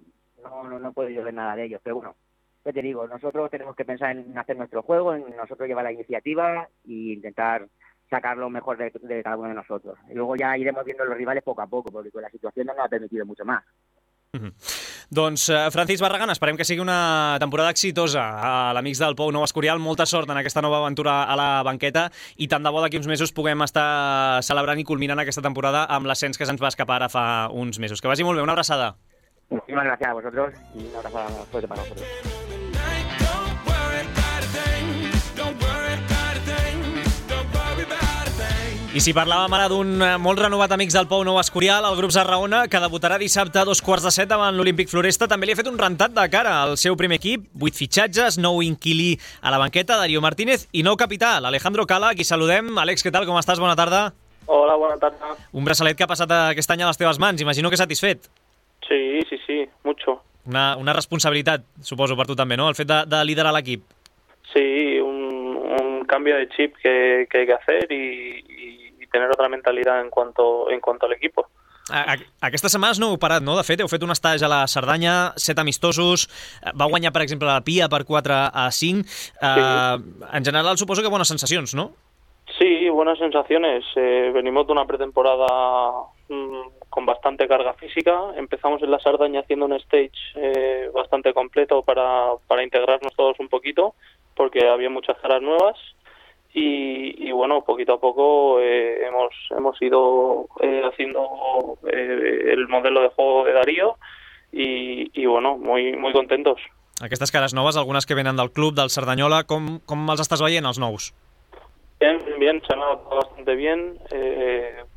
puedo yo ver nada de ellos. Pero bueno, ¿qué te digo? Nosotros tenemos que pensar en hacer nuestro juego, en nosotros llevar la iniciativa e intentar sacar lo mejor de cada uno de nosotros. Y luego ja iremos viendo los rivales poco a poco, porque la situación no nos ha permitido mucho más. Doncs, Francisc Barragán, esperem que sigui una temporada exitosa a l'Amics del Pou Nou Escorial. Molta sort en aquesta nova aventura a la banqueta i tant de bo d'aquí uns mesos puguem estar celebrant i culminant aquesta temporada amb l'ascens que se'ns va escapar ara fa uns mesos. Que vagi molt bé, una abraçada. Muchísimas gracias a vosotros y una abraçada fuerte para nosotros. I si parlàvem ara d'un molt renovat Amics del Pou Nou Escorial, el grup Zarraona, que debutarà dissabte a 2:15 davant l'Olímpic Floresta, també li ha fet un rentat de cara al seu primer equip, 8 fitxatges, nou inquilí a la banqueta, Darío Martínez, i nou capità, l'Alejandro Cala, a qui saludem. Àlex, què tal, com estàs? Bona tarda. Hola, bona tarda. Un braçalet que ha passat aquest any a les teves mans, imagino que satisfet. Sí, mucho. Una responsabilitat, suposo, per tu també, ¿no?, el fet de liderar l'equip. Sí, un cambio de chip que hay que hacer y tener otra mentalidad en cuanto al equipo. Aquestes setmanes no heu parat, no? De fet, heu fet un estatge a la Cerdanya, 7 amistosos, va guanyar, per exemple, la Pia per 4-5. En general, suposo que bones sensacions, ¿no? Sí, buenas sensaciones. Venimos de una pretemporada con bastante carga física. Empezamos en la Sardaña haciendo un stage bastante completo para integrarnos todos un poquito, porque había muchas caras nuevas. Y bueno, poquito a poco hemos ido haciendo el modelo de juego de Darío y bueno, muy contentos. Aquestes cares noves, algunes que venen del club, del Cerdanyola, com els estàs veient, els nous? Bien, se han adaptado bastante bien.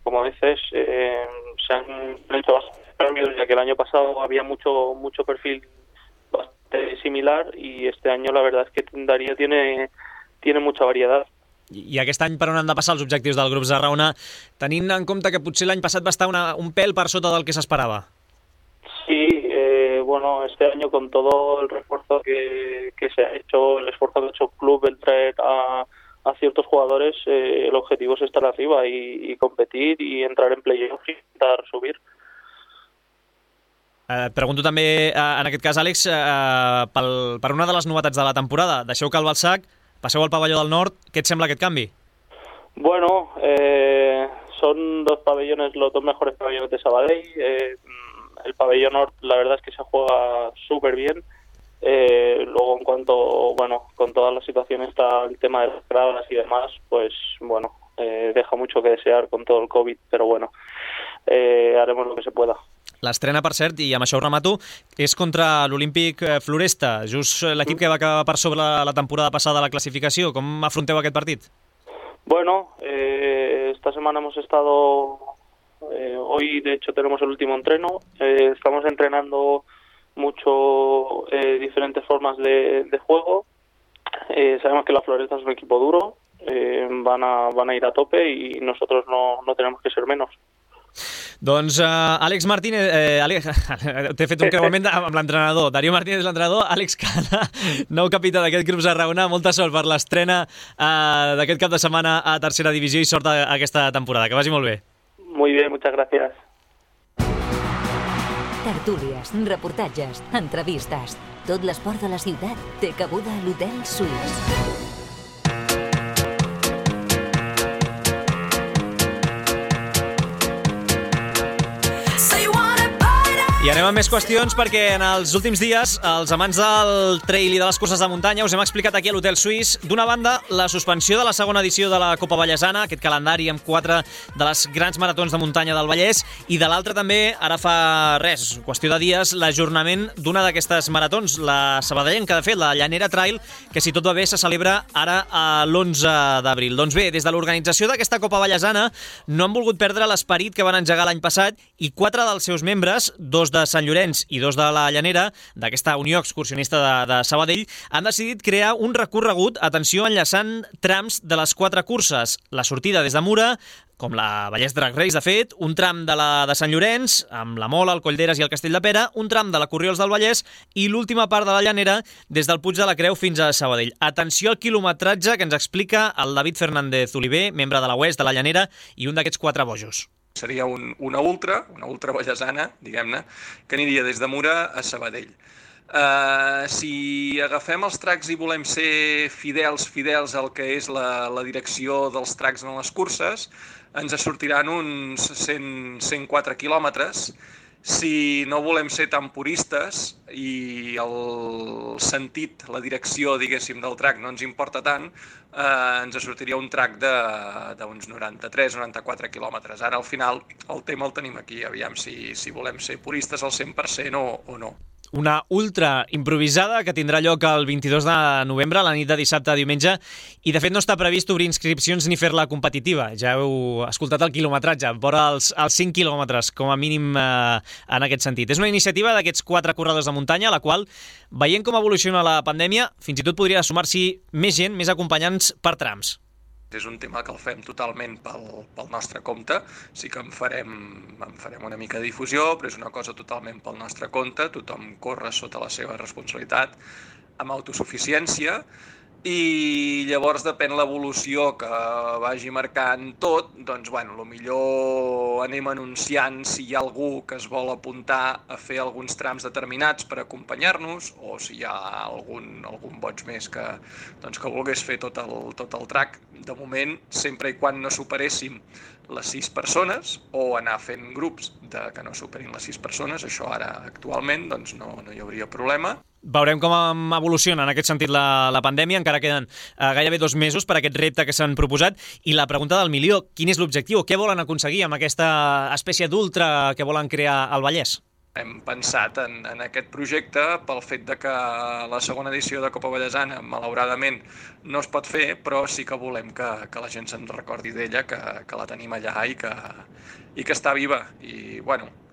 Como dices, se han hecho bastantes cambios, ya que el año pasado había mucho perfil bastante similar y este año la verdad es que Darío tiene mucha variedad. I aquest any per on han de passar els objectius del grup Zarraona, tenint en compte que potser l'any passat va estar un pèl per sota del que s'esperava? Sí, bueno, este año con todo el refuerzo que se ha hecho, el esfuerzo que ha hecho el club, el traer a ciertos jugadores, el objetivo es estar arriba y competir y entrar en playoff y intentar subir. Et pregunto també, en aquest cas, Àlex, per una de les novetats de la temporada. Deixeu Cal Balsac, passeu al pavelló del Nord. Què et sembla aquest canvi? Bueno, son dos pabellones, los dos mejores pabellones de Sabadell. El pabellón Nord, la verdad es que se juega súper bien. Luego, en cuanto, bueno, con toda la situación está el tema de las gradas y demás, pues bueno, deja mucho que desear con todo el COVID, pero bueno, haremos lo que se pueda. L'estrena, per cert, i amb això ho remato, és contra l'Olímpic Floresta, just l'equip que va acabar per sobre la temporada passada a la classificació. Com afronteu aquest partit? Bueno, esta semana hemos estado, hoy de hecho tenemos el último entreno, estamos entrenando mucho diferentes formas de juego. Sabemos que la Floresta es un equipo duro, van a ir a tope y nosotros no tenemos que ser menos. Doncs Àlex Martínez, t'he fet un creuament amb l'entrenador. Darío Martínez, l'entrenador, Àlex Cala, nou capità d'aquest grup Zarraona. Molta sort per l'estrena d'aquest cap de setmana a tercera divisió i sort aquesta temporada. Que vagi molt bé. Muy bien, muchas gracias. Tertúlies, reportatges, entrevistes. Tot l'esport de la ciutat té cabuda a l'Hotel Suís. I anem amb més qüestions perquè en els últims dies els amants del trail i de les curses de muntanya us hem explicat aquí a l'Hotel Suís, d'una banda, la suspensió de la segona edició de la Copa Vallesana, aquest calendari amb 4 de les grans maratons de muntanya del Vallès, i de l'altra també, ara fa res, qüestió de dies, l'ajornament d'una d'aquestes maratons, la sabadellenca, de fet, la Llanera Trail, que si tot va bé se celebra ara l'11 d'abril. Doncs bé, des de l'organització d'aquesta Copa Vallesana no han volgut perdre l'esperit que van engegar l'any passat i 4 dels seus membres, 2 de Sant Llorenç i 2 de la Llanera, d'aquesta Unió Excursionista de Sabadell, han decidit crear un recorregut, atenció, enllaçant trams de les 4 curses. La sortida des de Mura, com la Vallès Drag Race, de fet, un tram de la de Sant Llorenç, amb la Mola, el Collderes i el Castell de Pera, un tram de la Corriols del Vallès i l'última part de la Llanera des del Puig de la Creu fins a Sabadell. Atenció al quilometratge que ens explica el David Fernández Oliver, membre de la UES de la Llanera i un d'aquests 4 bojos. Seria una ultra vallesana, diguem-ne, que aniria des de Mura a Sabadell. Si agafem els tracks i volem ser fidels al que és la direcció dels tracks en les curses, ens sortiran uns 104 quilòmetres. Si no volem ser tan puristes i el sentit, la direcció, diguéssim, del track no ens importa tant, ens sortiria un track d'uns 93-94 quilòmetres. Ara, al final, el tema el tenim aquí. Aviam si volem ser puristes al 100% o no. Una ultra improvisada que tindrà lloc el 22 de novembre, la nit de dissabte a diumenge, i de fet no està previst obrir inscripcions ni fer-la competitiva. Ja heu escoltat el quilometratge, vora els 5 quilòmetres, com a mínim en aquest sentit. És una iniciativa d'aquests 4 corredors de muntanya, a la qual, veient com evoluciona la pandèmia, fins i tot podria sumar-s'hi més gent, més acompanyants per trams. És un tema que el fem totalment pel nostre compte. Sí que en farem una mica de difusió, però és una cosa totalment pel nostre compte. Tothom corre sota la seva responsabilitat, amb autosuficiència, i llavors depèn l'evolució que vagi marcant tot, doncs, lo millor anem anunciant si hi ha algú que es vol apuntar a fer alguns trams determinats per acompanyar-nos, o si hi ha algun boig més que volgués fer tot el track. De moment, sempre i quan no superéssim les 6 persones, o anar fent grups que no superin les 6 persones, això ara actualment no hi hauria problema. Veurem com evoluciona en aquest sentit la pandèmia. Encara queden gairebé 2 mesos per a aquest repte que s'han proposat. I la pregunta del milió, quin és l'objectiu? Què volen aconseguir amb aquesta espècie d'ultra que volen crear al Vallès? Hem pensat en aquest projecte pel fet de que la segona edició de Copa Vallesana, malauradament, no es pot fer, però sí que volem que la gent se'n recordi d'ella, que la tenim allà i que està viva. I,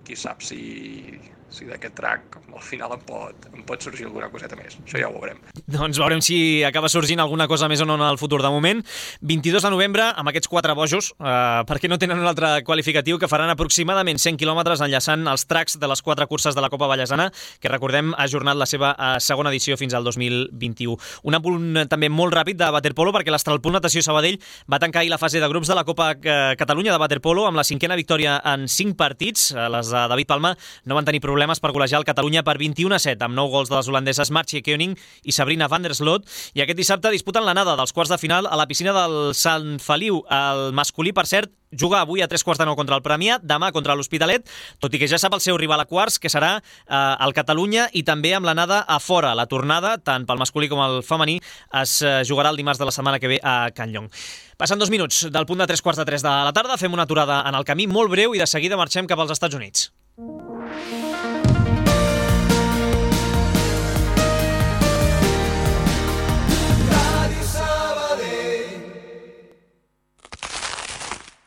qui sap si d'aquest track al final em pot sorgir alguna coseta més. Això ja ho veurem. Doncs veurem si acaba sorgint alguna cosa més o no en el futur. De moment, 22 de novembre, amb aquests 4 bojos, perquè no tenen un altre qualificatiu, que faran aproximadament 100 quilòmetres enllaçant els tracks de les 4 curses de la Copa Vallesana, que recordem ha ajornat la seva segona edició fins al 2021. Un apunt també molt ràpid de waterpolo, perquè l'Astralpool Natació Sabadell va tancar ahir la fase de grups de la Copa Catalunya de waterpolo amb la 5a victòria en 5 partits. Les de David Palma no van tenir problemes per golejar el Catalunya per 21-7, amb 9 gols de les holandeses Martje Koning i Sabrina van der Sloot. I aquest dissabte disputen l'anada dels quarts de final a la piscina del Sant Feliu. El masculí, per cert, juga avui a 3:45 contra el Premià, demà contra l'Hospitalet, tot i que ja sap el seu rival a quarts, que serà el Catalunya, i també amb l'anada a fora. La tornada, tant pel masculí com el femení, es jugarà el dimarts de la setmana que ve a Can Llong. Passen 2 minuts del punt de 3:45 de la tarda, fem una aturada en el camí molt breu i de seguida marxem cap als Estats Units.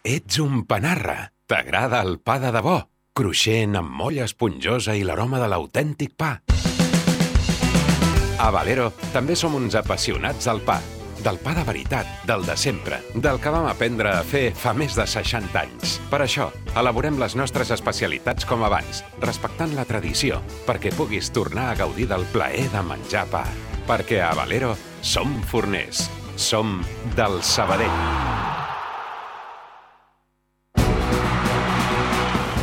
Ets un panarra. T'agrada el pa de debò, cruixent amb molla esponjosa i l'aroma de l'autèntic pa. A Valero també som uns apassionats del pa. Del pa de veritat, del de sempre, del que vam aprendre a fer fa més de 60 anys. Per això, elaborem les nostres especialitats com abans, respectant la tradició, perquè puguis tornar a gaudir del plaer de menjar pa. Perquè a Valero som forners. Som del Sabadell.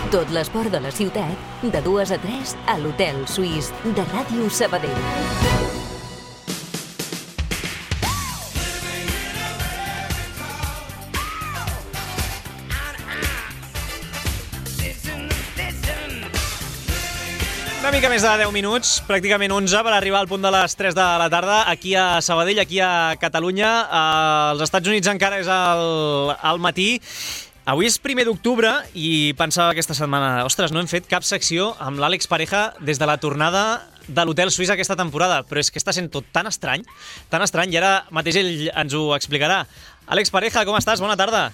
Tot l'esport de la ciutat, de 2 a 3, a l'Hotel Suís de Ràdio Sabadell. Una mica més de 10 minuts, pràcticament 11, per arribar al punt de les 3 de la tarda, aquí a Sabadell, aquí a Catalunya. Als Estats Units encara és al matí. Avui és 1 d'octubre i pensava aquesta setmana, ostres, no hem fet cap secció amb l'Àlex Pareja des de la tornada de l'Hotel Suís aquesta temporada, però és que està sent tot tan estrany, i ara mateix ell ens ho explicarà. Àlex Pareja, com estàs? Bona tarda.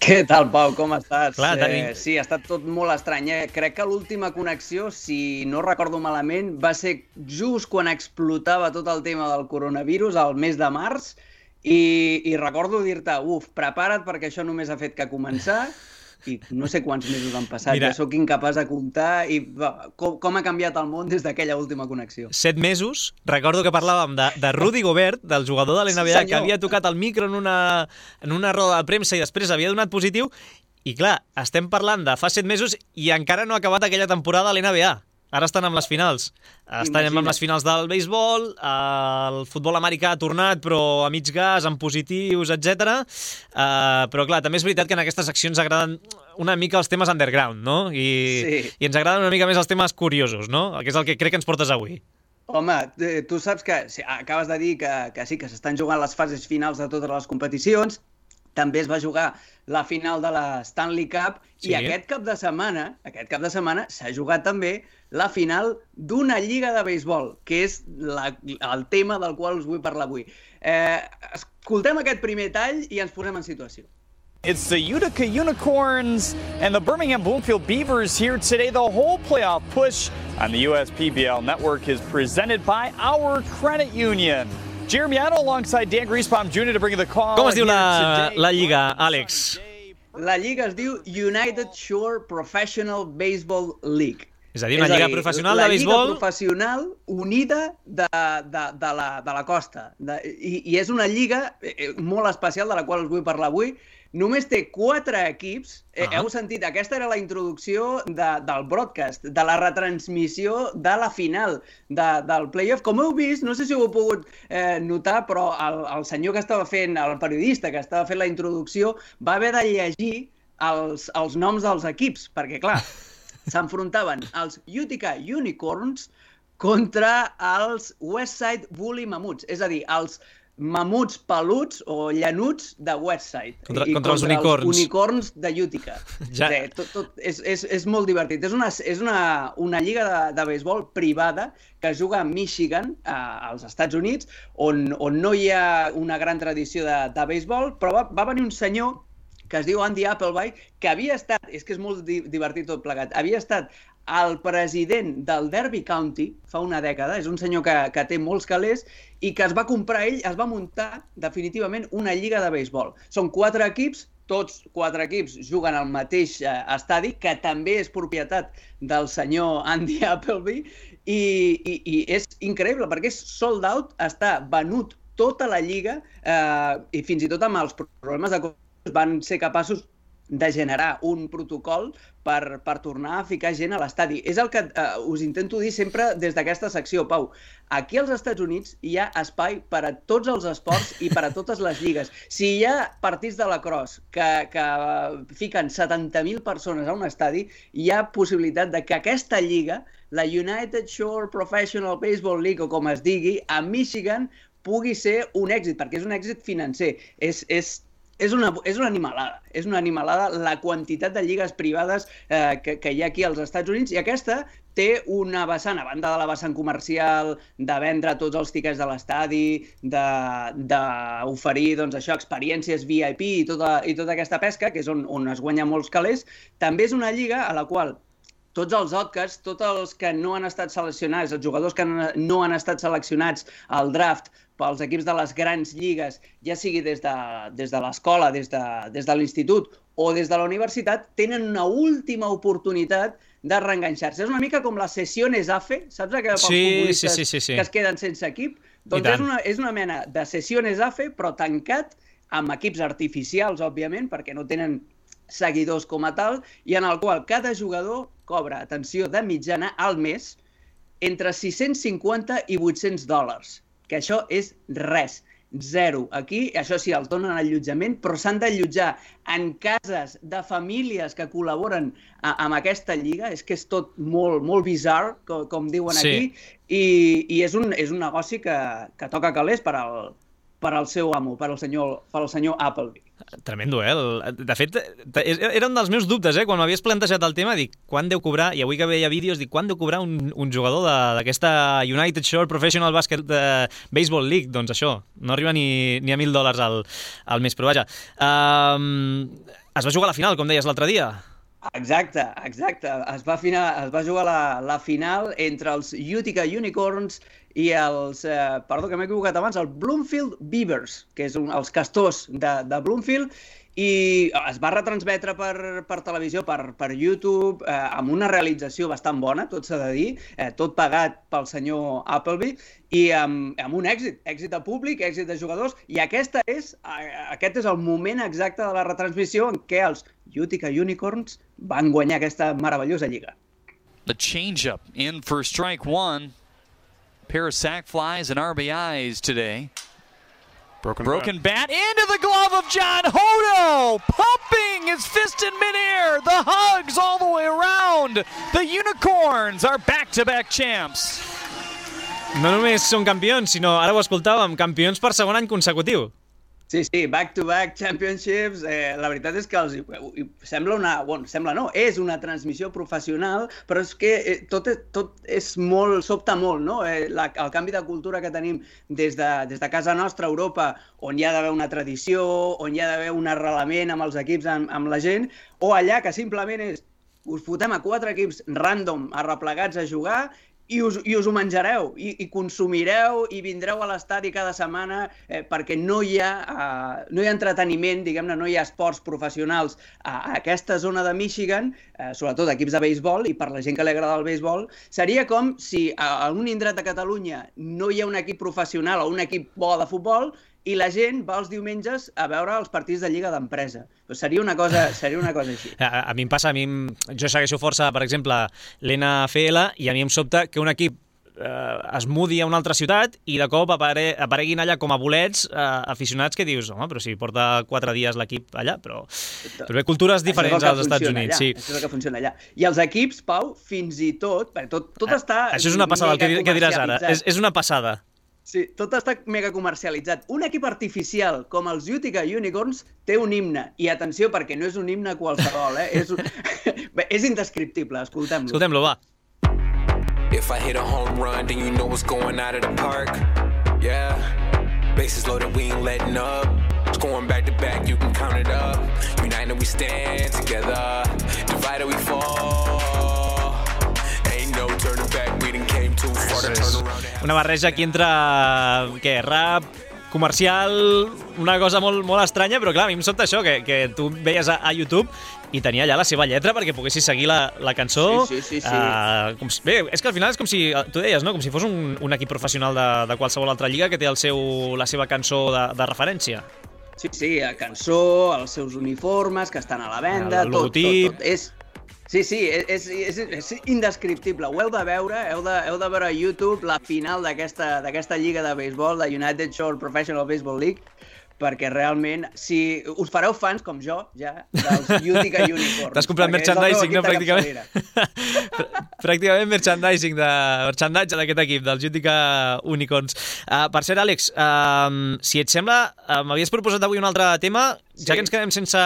Què tal, Pau? Com estàs? Clar, sí, ha estat tot molt estrany. Crec que l'última connexió, si no recordo malament, va ser just quan explotava tot el tema del coronavirus, al mes de març, i recordo dir-te, prepara't perquè això només ha fet que començar, i no sé quants mesos han passat. Mira, ja sóc incapaç de comptar i com ha canviat el món des d'aquella última connexió. 7 mesos. Recordo que parlàvem de Rudy Gobert, del jugador de l'NBA, que havia tocat el micro en una roda de premsa i després havia donat positiu. I clar, estem parlant de fa 7 mesos i encara no ha acabat aquella temporada a l'NBA. Ara estan amb les finals. Estan amb les finals del béisbol, el futbol americà ha tornat, però a mig gas, amb positius, etc. Però clar, també és veritat que en aquestes seccions agraden una mica els temes underground, no? I ens agraden una mica més els temes curiosos, no? Que és el que crec que ens portes avui. Home, tu saps que acabes de dir que sí, que s'estan jugant les fases finals de totes les competicions. També es va jugar la final de la Stanley Cup i aquest cap de setmana s'ha jugat també la final d'una lliga de béisbol, que és el tema del qual us vull parlar avui. Escoltem aquest primer tall i ens posem en situació. It's the Utica Unicorns and the Birmingham Bloomfield Beavers here today. The whole playoff push on the USPBL network is presented by our credit union. Jeremy Addo alongside Dan Griesbaum Jr. to bring the call. Com es diu la lliga, Àlex? La lliga es diu United Shore Professional Baseball League. És a dir, una lliga professional de béisbol... La lliga professional unida de la costa. I és una lliga molt especial de la qual us vull parlar avui. Només té 4 equips. Heu sentit, aquesta era la introducció del broadcast, de la retransmissió de la final del playoff. Com heu vist, no sé si ho heu pogut notar, però el senyor que estava fent, el periodista que estava fent la introducció, va haver de llegir els noms dels equips, perquè, clar, s'enfrontaven els Utica Unicorns contra els Westside Woolly Mammoths, és a dir, els mamuts peluts o llanuts de Westside. Contra els unicorns. Els unicorns de Utica. És molt divertit. És una lliga de béisbol privada que es juga a Michigan, als Estats Units, on no hi ha una gran tradició de béisbol, però va venir un senyor que es diu Andy Appleby, que havia estat, és que és molt divertit tot plegat, havia estat el president del Derby County fa una dècada, és un senyor que té molts calés i que es va comprar ell, es va muntar definitivament una lliga de béisbol. Són 4 equips, tots 4 equips juguen al mateix estadi, que també és propietat del senyor Andy Appleby, i és increïble perquè és sold out, està venut tota la lliga i fins i tot amb els problemes de coronavirus van ser capaços de generar un protocol per tornar a ficar gent a l'estadi. És el que us intento dir sempre des d'aquesta secció, Pau. Aquí als Estats Units hi ha espai per a tots els esports i per a totes les lligues. Si hi ha partits de lacrosse que fiquen 70.000 persones a un estadi, hi ha possibilitat de que aquesta lliga, la United Shore Professional Baseball League, o com es digui, a Michigan, pugui ser un èxit, perquè és un èxit financer. És una animalada la quantitat de lligues privades que hi ha aquí als Estats Units, i aquesta té una vessant, a banda de la vessant comercial, de vendre tots els tiquets de l'estadi, d'oferir experiències VIP i tota aquesta pesca, que és on es guanya molts calés. També és una lliga a la qual tots els outcasts, tots els que no han estat seleccionats, els jugadors que no han estat seleccionats al draft pels equips de les grans lligues, ja sigui des de l'escola, des de l'institut o des de la universitat, tenen una última oportunitat de reenganxar-se. És una mica com les sessiones AFE, saps aquells futbolistes que es queden sense equip? Doncs és una mena de sessiones AFE, però tancat amb equips artificials, òbviament, perquè no tenen seguidors com a tal, i en el qual cada jugador cobra, atenció, de mitjana al mes, entre $650 i $800, que això és res, zero. Aquí, això sí, els donen allotjament, però s'han d'allotjar en cases de famílies que col·laboren amb aquesta lliga. És que és tot molt bizarre, com diuen aquí, i és un negoci que toca calés per al seu amo, per al senyor Appleby. Tremendo, De fet, era un dels meus dubtes, quan m'havies plantejat el tema, dic, quan deu cobrar, i avui que veia vídeos, dic, quan deu cobrar un jugador d'aquesta United Shore Professional Baseball League? Doncs això, no arriba ni a $1.000 al mes, però vaja. Es va jugar a la final, com deies l'altre dia. Exacte. Es va jugar la final entre els Utica Unicorns i els, perdó que m'he equivocat abans, el Bloomfield Beavers, que és els castors de Bloomfield, i es va retransmetre per televisió, per YouTube, amb una realització bastant bona, tot s'ha de dir, tot pagat pel senyor Appleby, i amb un èxit de públic, èxit de jugadors, i aquest és el moment exacte de la retransmissió en què els Utica Unicorns van guanyar aquesta meravellosa lliga. The change-up in for strike one. Pair of sac flies and RBIs today. Broken bat into the glove of John Hodo, pumping his fist in midair. The hugs all the way around. The Unicorns are back-to-back champs. No només són campions, sinó, ara ho escoltàvem, campions per segon any consecutiu. Sí, back-to-back championships. La veritat és que és una transmissió professional, però és que tot és molt, sobta molt, no? El canvi de cultura que tenim des de casa nostra, Europa, on hi ha d'haver una tradició, on hi ha d'haver un arrelament amb els equips, amb la gent, o allà que simplement us fotem a 4 equips random arreplegats a jugar i us ho menjareu, i consumireu, i vindreu a l'estadi cada setmana, perquè no hi ha entreteniment, diguem-ne, no hi ha esports professionals a aquesta zona de Michigan, sobretot equips de béisbol, i per la gent que li agrada el béisbol, seria com si a un indret de Catalunya no hi ha un equip professional o un equip bo de futbol, i la gent va els diumenges a veure els partits de Lliga d'Empresa. Seria una cosa així. A mi em passa, jo segueixo força, per exemple, l'NFL, i a mi em sobta que un equip es mudi a una altra ciutat i de cop apareguin allà com a bolets aficionats que dius, home, però si porta 4 dies l'equip allà, però bé, cultures diferents als Estats Units. Sí. Això és el que funciona allà. I els equips, Pau, fins i tot està... Això és una passada, el que diràs ara. És una passada. Sí, tot està mega comercialitzat. Un equip artificial com els Utica Unicorns té un himne. I atenció, perquè no és un himne qualsevol, és indescriptible, escoltem-lo. Escoltem-lo, va. If I hit a home run, then you know what's going out of the park. Yeah, bases loaded, we ain't letting up. Scoring back to back, you can count it up. United we stand together, divided we fall. Ain't no turning back, we done came too far to turn around. Una barreja aquí entre, rap, comercial, una cosa molt estranya, però clar, a mi em sobta això, que tu veies a YouTube i tenia allà la seva lletra perquè poguessis seguir la cançó. Sí. Bé, és que al final és com si, tu deies, no? Com si fos un equip professional de qualsevol altra lliga que té la seva cançó de referència. Sí, la cançó, els seus uniformes que estan a la venda, el logotip. Tot. Sí, és indescriptible. Ho heu de veure, heu de veure a YouTube la final d'aquesta lliga de béisbol, de United Shore Professional Baseball League, perquè realment, si us fareu fans, com jo, ja, dels Utica Unicorns. T'has comprat merchandising, no? Pràcticament merchandising d'aquest equip, dels Utica Unicorns. Per cert, Àlex, si et sembla, m'havies proposat avui un altre tema, ja que ens quedem sense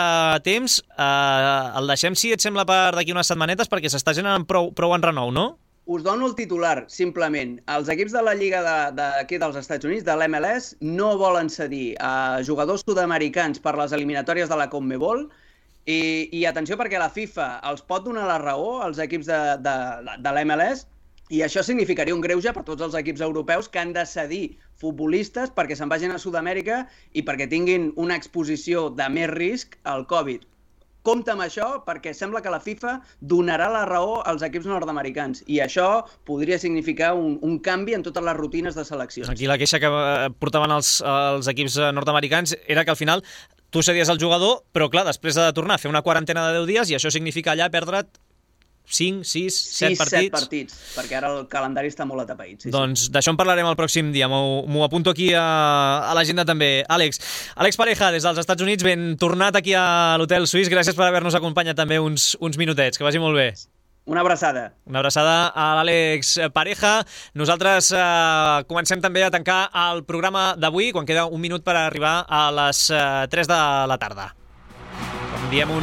temps, el deixem, si et sembla, per d'aquí unes setmanetes, perquè s'està generant prou enrenou, no? Us dono el titular, simplement. Els equips de la Lliga d'aquí dels Estats Units, de l'MLS, no volen cedir a jugadors sud-americans per les eliminatòries de la CONMEBOL i atenció perquè la FIFA els pot donar la raó als equips de l'MLS i això significaria un greuge per tots els equips europeus que han de cedir futbolistes perquè se'n vagin a Sud-amèrica i perquè tinguin una exposició de més risc al Covid. Compte amb això perquè sembla que la FIFA donarà la raó als equips nord-americans i això podria significar un canvi en totes les rutines de seleccions. Aquí la queixa que portaven els equips nord-americans era que al final tu cedies el jugador, però clar, després ha de tornar a fer una quarantena de 10 dies i això significa allà perdre't 5, 6, 7 partits. 7 partits, perquè ara el calendari està molt atapeït. Doncs d'això en parlarem el pròxim dia. M'ho apunto aquí a l'agenda també. Àlex Pareja, des dels Estats Units, ben tornat aquí a l'Hotel Suís. Gràcies per haver-nos acompanyat també uns minutets. Que vagi molt bé. Una abraçada. Una abraçada a l'Àlex Pareja. Nosaltres comencem també a tancar el programa d'avui, quan queda un minut per arribar a les 3 de la tarda. Com diem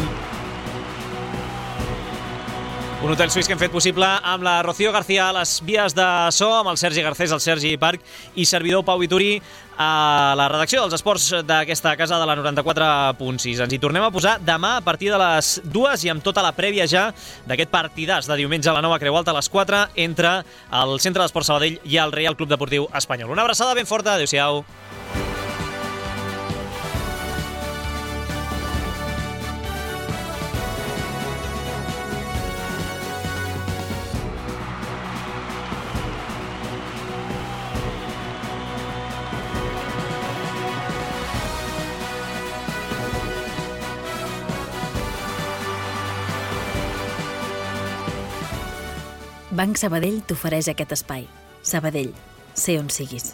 Un hotel suís que hem fet possible amb la Rocío García a les vies de so, amb el Sergi Garcés, el Sergi Parc i servidor Pau Vituri a la redacció dels esports d'aquesta casa de la 94.6. Ens hi tornem a posar demà a partir de les 2 i amb tota la prèvia ja d'aquest partidàs de diumenge a la Nova Creu Alta a les 4 entre el Centre d'Esports Sabadell i el Reial Club Deportiu Espanyol. Una abraçada ben forta, adéu-siau. Banc Sabadell t'ofereix aquest espai. Sabadell, sé on siguis.